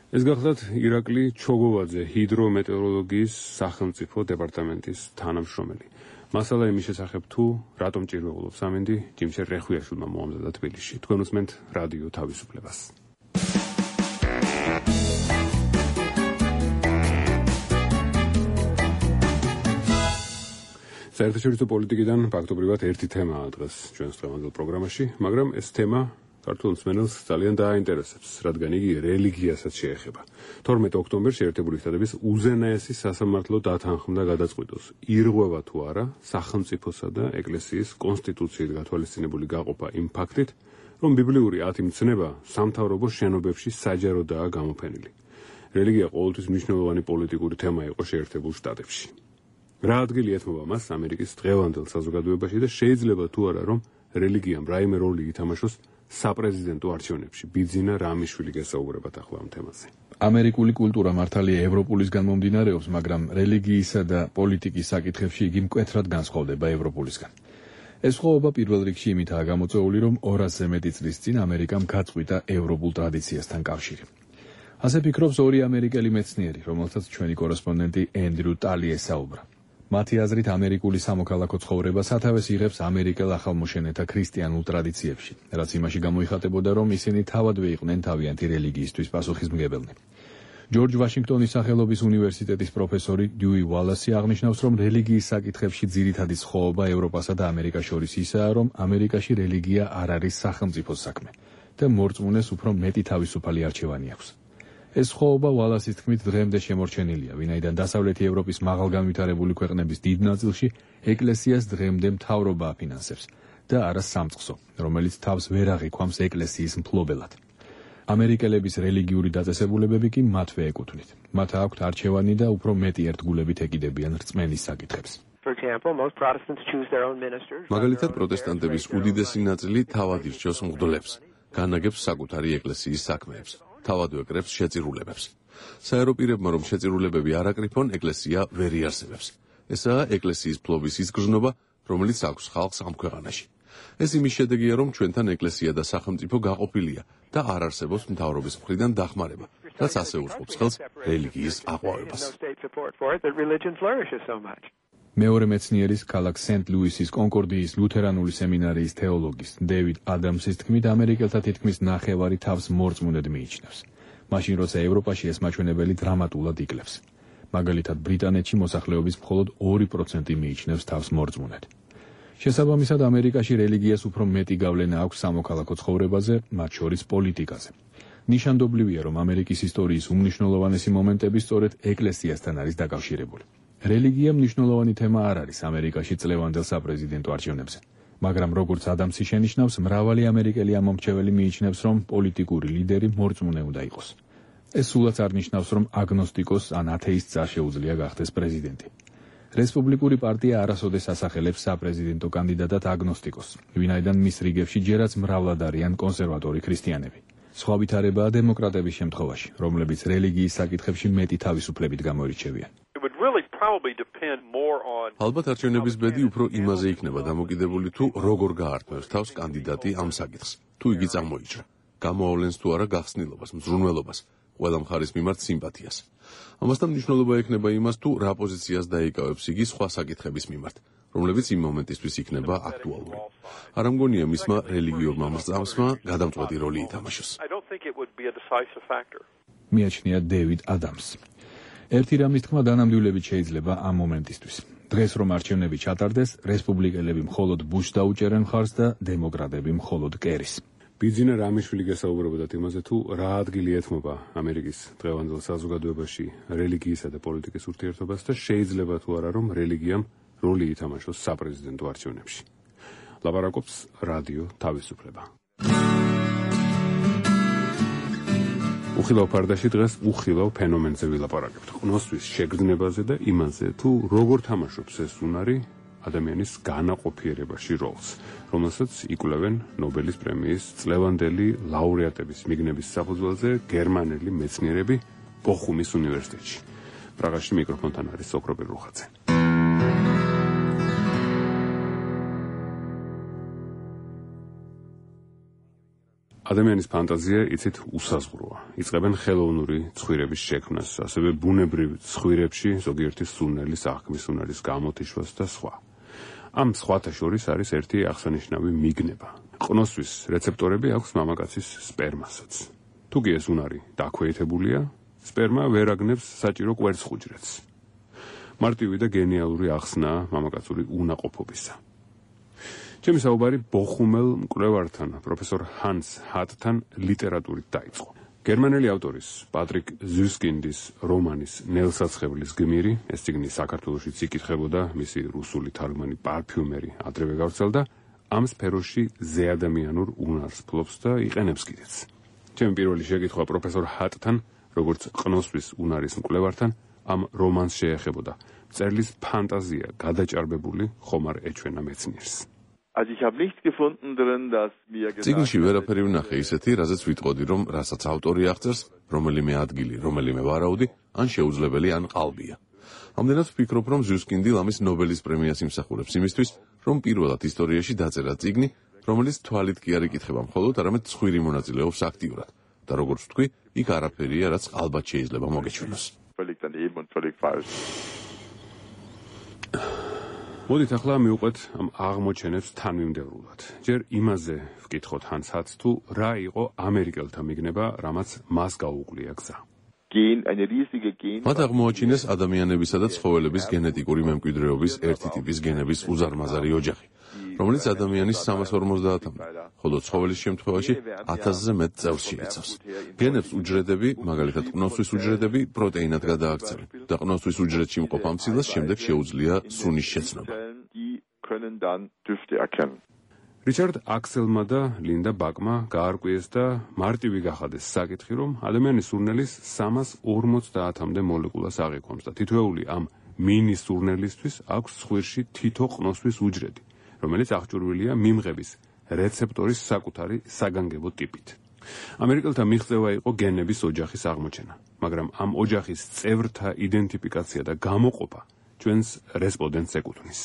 ეს გახლავთ ირაკლი ჩოგოვაძე, ჰიდრომეტეოროლოგიის სახელმწიფო დეპარტამენტის თანამშრომელი. მასალა იმის შესახებ თუ რატომ ჭირვეულობს ამინდი, ჯიმშერ რეხვიაშვილმა მოამზადა თბილისში. თქვენ უსმენთ რადიო თავისუფლებას. საერთაშორისო პოლიტიკიდან ფაქტობრივად ერთი თემაა დღეს ჩვენს დღევანდელ პროგრამაში, მაგრამ ეს თემა ქართულ მსმენელს ძალიან დააინტერესებს, რადგან იგი რელიგიასაც შეეხება. 12 ოქტომბერში ერთებული შტატების უზენაესი სასამართლო დათანხმდა გადაწყვიტოს, ირღვევა თუ არა სახელმწიფოსა და ეკლესიის კონსტიტუციით გათვალისწინებული გაყოფა იმ ფაქტით, რომ ბიბლიური 10 მცნება სამთავრობო შენობებში საჯაროდაა გამოფენილი. რელიგია ყოველთვის მნიშვნელოვანი პოლიტიკური თემა იყო შეერთებულ შტატებში. რა ადგილი ეთმობა მას ამერიკის დღევანდელ საზოგადოებაში და შეიძლება თუ არა რომ რელიგიამ რაიმე როლი ითამაშოს საპრეზიდენტო არჩევნებში. ბიძინა რამიშვილი გესაუბრებათ ახლა ამ თემაზე. ამერიკული კულტურა მართალია ევროპულისგან მომდინარეობს, მაგრამ რელიგიისა და პოლიტიკის საკითხებში იგი მკვეთრად განსხვავდება ევროპულისგან. ეს ხოვობა პირველ რიგში იმითაა გამოწვეული, რომ 200-ზე მეტი წლის წინ ამერიკამ გაწყვიტა ევროპულ ტრადიციასთან კავშირი. ასე ფიქრობს ორი ამერიკელი მეცნიერი, რომელსაც ჩვენი კორესპონდენტი ენდრუ ტალი ესაუბრა. მათი აზრით ამერიკული სამოქალაქო ცხოვრება სათავეს იღებს ამერიკელ ახალმოშენეთა ქრისტიანულ ტრადიციებში, რაც იმაში გამოიხატებოდა, რომ ისინი თავადვე იყვნენ თავიანთი რელიგიისთვის პასუხისმგებელნი. ჯორჯ ვაშინგტონის სახელობის უნივერსიტეტის პროფესორი დიუი ვალასი აღნიშნავს, რომ რელიგიის საკითხებში ძირითადი სხვაობა ევროპასა და ამერიკას შორის ისაა, რომ ამერიკაში რელიგია არ არის სახელმწიფოს საქმე და მორწმუნეს უფრო მეტი თავისუფალი არჩევანი აქვს. ეს ხოვობა ვალასის თქმით დღემდე შემორჩენილია, ვინაიდან დასავლეთი ევროპის მაღალგანვითარებული ქვეყნების დიდ ნაწილში ეკლესიას დღემდე მთავრობა აფინანსებს და არა სამწყსო, რომელიც თავს ვერ აღიქვამს ეკლესიის მფლობელად. ამერიკელების რელიგიური დაწესებულებები კი მათვე ეკუთვნით. მათ აქვთ არჩევანი და უფრო მეტი ერთგულებით ეკიდებიან რწმენის საკითხებს. მაგალითად, პროტესტანტების უდიდესი ნაწილი თავად ირჩევს მღვდლებს, განაგებს საკუთარი ეკლესიის საქმეებს. თავადვე კრებს შეწირულებებს. საეროპირებმა რომ შეწირულებები არ აკრიფონ, ეკლესია ვერ იარსებებს. ესაა ეკლესიის ფლობის ის გრძნობა, რომელიც აქვს ხალხს ამ ქვეყანაში. ეს იმის შედეგია, რომ ჩვენთან ეკლესია და სახელმწიფო გაყოფილია და არ არსებობს მთავრობის მხრიდან დახმარება, რაც ასე უწყობს ხელს რელიგიის აყვავებას. მეორე მეცნიერის ქალაქ სენტ-ლუისის კონკორდიის ლუთერანული სემინარიის თეოლოგის დევიდ ადამსის თქმით, ამერიკელთა თითქმის ნახევარი თავს მორწმუნედ მიიჩნევს. მაშინ როცა ევროპაში ეს მაჩვენებელი დრამატულად იკლებს. მაგალითად, ბრიტანეთში მოსახლეობის მხოლოდ 2% მიიჩნევს თავს მორწმუნედ. შესაბამისად, ამერიკაში რელიგიას უფრო მეტი გავლენა აქვს სამოქალაქო ცხოვრებაზე, მათ შორის პოლიტიკაზე. ნიშანდობლივია, რომ ამერიკის ისტორიის უმნიშვნელოვანესი მომენტები სწორედ ეკლესიასთან არის დაკავშირებული. რელიგია მნიშვნელოვანი თემა არ არის ამერიკაში წლევანდელ საპრეზიდენტო არჩევნებზე, მაგრამ როგორც ადამსი შენიშნავს, მრავალი ამერიკელი ამომრჩეველი მიიჩნევს, რომ პოლიტიკური ლიდერი მორწმუნე უნდა იყოს. ეს სულაც არ ნიშნავს, რომ აგნოსტიკოს ან ათეისტს არ შეუძლია გახდეს პრეზიდენტი. რესპუბლიკური პარტია არასოდეს ასახელებს საპრეზიდენტო კანდიდატად აგნოსტიკოს, ვინაიდან მის რიგებში ჯერაც მრავლად არიან კონსერვატორი ქრისტიანები. სხვა ვითარებაა დემოკრატების შემთხვევაში, რომლებიც რელიგიის საკითხებში მეტი თავისუფლებით გამოირჩევიან. ალბათ არჩევნების ბედი უფრო იმაზე იქნება დამოკიდებული, თუ როგორ გაართმევს თავს კანდიდატი ამ საკითხს, თუ იგი წარმოიჭრა, გამოავლენს თუ არა გახსნილობას, მზრუნველობას, ყველა მხარის მიმართ სიმპათიას. ამასთან მნიშვნელობა ექნება იმას, თუ რა პოზიციას დაიკავებს იგი სხვა საკითხების მიმართ, რომლებიც იმ მომენტისთვის იქნება აქტუალური. არ ამგონია მისმა რელიგიურმა მრწამსმა გადამწყვეტი როლი ითამაშოს. მიაჩნია დევიდ ადამს. ერთი რამის თქმა დანამდვილებით შეიძლება ამ მომენტისთვის. დღეს რომ არჩევნები ჩატარდეს, რესპუბლიკელები მხოლოდ ბუშს დაუჭერენ მხარს და დემოკრატები მხოლოდ კერის. ბიძინა რამიშვილი გესაუბრებოდათ იმაზე, თუ რა ადგილი ეთმობა ამერიკის დღევანდელ საზოგადოებაში რელიგიისა და პოლიტიკის ურთიერთობას და შეიძლება თუ არა რომ რელიგიამ როლი ითამაშოს საპრეზიდენტო არჩევნებში. ლაპარაკობს რადიო თავისუფლება. უხილავ ფარდაში დღეს უხილავ ფენომენზე ვილაპარაკებთ. ყნოსვის შეგრძნებაზე და იმაზე, თუ როგორ თამაშობს ეს უნარი ადამიანის განაყოფიერებაში როლს, რომელსაც იკვლევენ ნობელის პრემიის წლევანდელი ლაურეატების მიგნების საფუძველზე გერმანელი მეცნიერები ბოხუმის უნივერსიტეტში. პრაღაში მიკროფონთან არის სოკრობი რუხაძე. ადამიანის ფანტაზია იცით უსაზღვროა. იწყებენ ხელოვნური ცხვირების შექმნას, ასევე ბუნებრივ ცხვირებში ზოგიერთი სუნელის აღქმის უნარის გამოთიშვას და სხვა. ამ სხვათა შორის არის ერთი აღსანიშნავი მიგნება. ყნოსვის რეცეპტორები აქვს მამაკაცის სპერმასაც. თუ კი ეს უნარი დაქვეითებულია, სპერმა ვერ აგნებს საჭირო კვერცხუჯრედს. მარტივი და გენიალური ახსნაა მამაკაცური უნაყოფობისა. ჩემი საუბარი ბოხუმელ მკვლევართან, პროფესორ ჰანს ჰატთან ლიტერატურით დაიწყო. გერმანელი ავტორის პატრიკ ზუსკინდის რომანის ნელსაცხებლის გმირი, ეს წიგნი საქართველოშიც იკითხებოდა, მისი რუსული თარგმანი პარფიუმერი ადრევე გავრცელდა, ამ სფეროში ზეადამიანურ უნარს ფლობს და იყენებს კიდეც. ჩემი პირველი შეკითხვა პროფესორ ჰატთან, როგორც ყნოსვის უნარის მკვლევართან, ამ რომანს შეეხებოდა. წერლის ფანტაზია გადაჭარბებული ხომ არ ეჩვენა მეცნიერს. წიგნში ვერაფერი ვნახე ისეთი, რაზეც ვიტყოდი, რომ რასაც ავტორი აღწერს, რომელიმე ადგილი, რომელიმე ვარაუდი, ან შეუძლებელი, ან ყალბია. ამდენად ვფიქრობ, რომ ზუსკინდი ლამის ნობელის პრემიას იმსახურებს იმისთვის, რომ პირველად ისტორიაში დაწერა წიგნი, რომელიც თვალით კი არ იკითხება მხოლოდ, არამედ ცხვირი მონაწილეობს აქტიურად. და როგორც ვთქვი, იქ არაფერია, რაც ყალბად შეიძლება მოგეჩვენოს. მოდით ახლა მივყვეთ ამ აღმოჩენებს თანმიმდევრულად. ჯერ იმაზე ვკითხოთ ჰანს ჰატს, თუ რა იყო ამერიკელთა მიგნება, რამაც მას გაუყვლია გზა. მათ აღმოაჩინეს ადამიანებისა და ცხოველების გენეტიკური მემკვიდრეობის ერთი ტიპის გენების უზარმაზარი ოჯახი, რომელიც ადამიანის 350-მდე, ხოლო ცხოველის შემთხვევაში 1000-ზე მეტ წევს შეიცავს. გენებს უჯრედები, მაგალითად ყნოსვის უჯრედები, პროტეინად გადააქცევენ და ყნოსვის უჯრედში მყოფ ამ ცილას შემდეგ შეუძლია სუნის შეცნობა. რიჩარდ აქსელმა და ლინდა ბაკმა გაარკვიეს და მარტივი გახადეს საკითხი, რომ ადამიანის სურნელის 350-მდე მოლეკულას აღიქვამს და თითოეული ამ მინი სურნელისთვის აქვს ცხვირში თითო ყნოსვის უჯრედი, რომელიც აღჭურვილია მიმღების რეცეპტორის საკუთარი საგანგებო ტიპით. ამერიკელთა მიღწევა იყო გენების ოჯახის აღმოჩენა, მაგრამ ამ ოჯახის წევრთა იდენტიფიკაცია და გამოყოფა ჩვენს რესპონდენტს ეკუთვნის.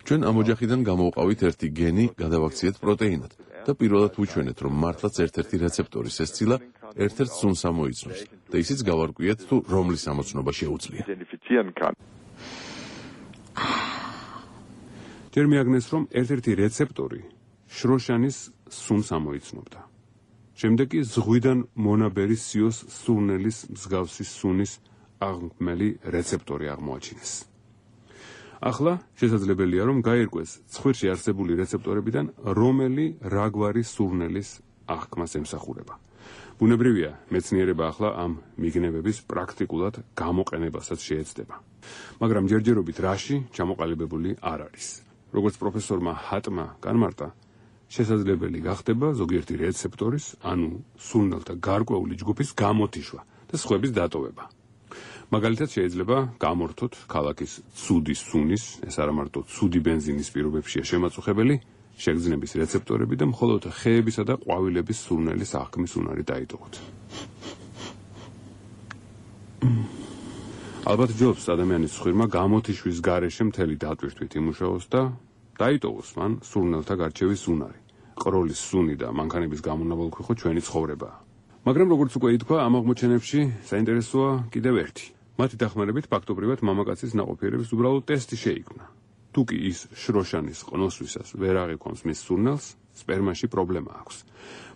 ჩვენ ამ ოჯახიდან გამოვყავით ერთი გენი, გადავაქციეთ პროტეინად და პირველად ვუჩვენეთ, რომ მართლაც ერთ-ერთი რეცეპტორის ეს ცილა ერთ-ერთ სუნს ამოიცნობს და ისიც გავარკვიეთ, თუ რომლის ამოცნობა შეუძლია. ჯერ მიაგნეს, რომ ერთ-ერთი რეცეპტორი შროშანის სუნს ამოიცნობდა. შემდეგ კი ზღვიდან მონაბერი სიოს სურნელის მსგავსი სუნის აღმელი რეცეპტორი აღმოაჩინეს. ახლა შესაძლებელია, რომ გაირკვეს ცხვირში არსებული რეცეპტორებიდან რომელი რაგვარი სურნელის აღქმას ემსახურება. ბუნებრივია, მეცნიერება ახლა ამ მიგნებების პრაქტიკულად გამოყენებასაც შეეცდება. მაგრამ ჯერჯერობით რაში ჩამოყალიბებული არ არის. როგორც პროფესორმა ჰატმა განმარტა, შესაძლებელი გახდება ზოგიერთი რეცეპტორის, ანუ სურნელთა გარკვეული ჯგუფის გამოთიშვა და სხვების დატოვება. მაგალითად შეიძლება გამორთოთ ქალაქის ცუდი სუნის, ეს არა მარტო ცუდი ბენზინის პირობებშია შემაწუხებელი, შეგრძნების რეცეპტორები და მხოლოდ ხეებისა და ყვავილების სურნელის აღქმის უნარი დაიტოვოთ. ალბათ ჯობს ადამიანის ცხვირმა გამოთიშვის გარეშე მთელი დატვირთვით იმუშაოს და დაიტოვოს მან სურნელთა გარჩევის უნარი. ყროლის სუნი და მანქანების გამონაბოლქვი ჩვენი ცხოვრებაა. მაგრამ როგორც უკვე ითქვა, ამ აღმოჩენებში საინტერესოა კიდევ ერთი. მათი დახმარებით ფაქტობრივად მამაკაცის ნაყოფიერების უბრალოდ ტესტი შეიქმნა. თუ კი ის შროშანის ყნოსვისას ვერ აღიქვამს მის სურნელს, სპერმაში პრობლემა აქვს.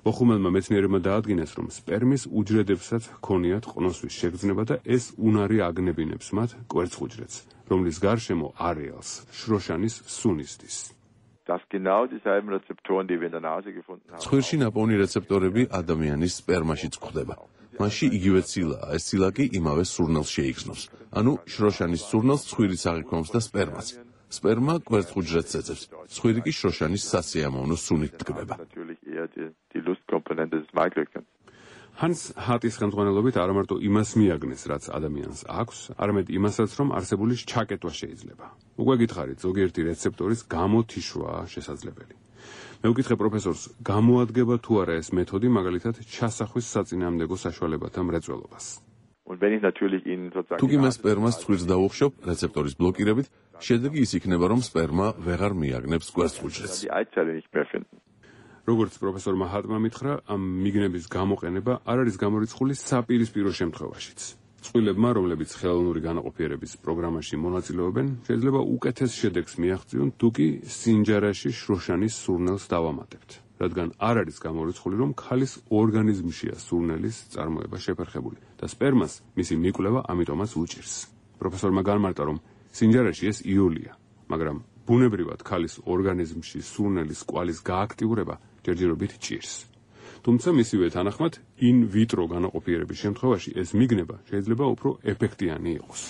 ბოხუმელმა მეცნიერებმა დაადგინეს, რომ სპერმის უჯრედებსაც ჰქონიათ ყნოსვის შეგრძნება და ეს უნარი აგნებინებს მათ კვერცხუჯრედს, რომლის გარშემო არეალს შროშანის სუნისდის. ცხვირში ნაპოვნი რეცეპტორები ადამიანის სპერმაშიც გვხვდება. მასში იგივე ცილაა, ეს ცილა კი იმავე სურნელს შეიგრძნობს. ანუ შროშანის სურნელს ცხვირიც აღიქვამს და სპერმაც. სპერმა კვერცხუჯრედს ეძებს, ცხვირი კი შროშანის სასიამოვნო სუნით დგება. ჰანს ჰატის ხელმძღვანელობით არა მარტო იმას მიაგნეს, რაც ადამიანს აქვს, არამედ იმასაც, რომ არსებული ჩაკეტვა შეიძლება. უკვე გითხარით, ზოგიერთი რეცეპტორის გამოთიშვა შესაძლებელი. მე ვკითხე პროფესორს, გამოადგება თუ არა ეს მეთოდი, მაგალითად, ჩასახვის საწინააღმდეგო საშუალებათა მრეწველობას. თუ კი მე სპერმას ცხვირს დავუხშობ რეცეპტორის ბლოკირებით, შედეგი ის იქნება, რომ სპერმა ვეღარ მიაგნებს კვერცხუჯრედს. როგორც პროფესორმა ჰატმა მითხრა, ამ მიგნების გამოყენება არ არის გამორიცხული საპირისპირო შემთხვევაშიც. წყვილებმა, რომლებიც ხელოვნური განაყოფიერების პროგრამაში მონაწილეობენ, შეიძლება უკეთეს შედეგს მიაღწიონ, თუ კი სინჯარაში შროშანის სურნელს დავამატებთ, რადგან არ არის გამორიცხული, რომ ქალის ორგანიზმშია სურნელის წარმოება შეფერხებული და სპერმას მისი მიკვლევა ამიტომაც უჭირს. პროფესორმა განმარტა, რომ სინჯარაში ეს იოლია, მაგრამ ბუნებრივად ქალის ორგანიზმში სურნელის კვალის გააქტიურება ჯერჯერობით ჭირს. თუმცა მისივე თანახმად in vitro განაყოფიერების შემთხვევაში ეს მიგნება შეიძლება უფრო ეფექტიანი იყოს.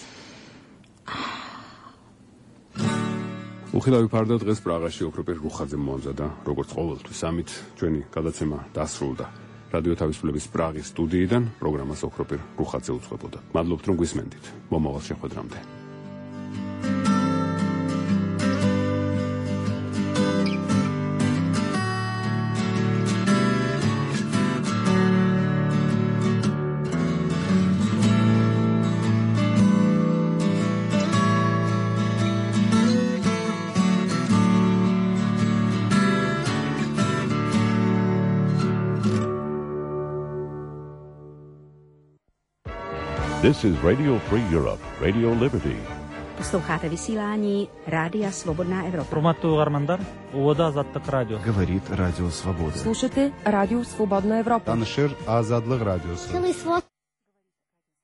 უხილავი ფარდა დღეს პრაღაში ოქროპერ რუხაძემ მოამზადა, როგორც ყოველთვის ამით ჩვენი გადაცემა დასრულდა. რადიო თავისუფლების პრაღის სტუდიიდან პროგრამას ოქროპერ რუხაძე უძღვებოდა. მადლობთ რომ გვისმენდით. მომავალ შეხვედრამდე. This is Radio Free Europe, Radio Liberty. Слухате висилани Радио Свободная Европа. Урматтуу угармандар, Увода Азаттык радио. Говорит Радио Свобода. Слушайте Радио Свободная Европа. Танышыр Азадлык радиосы.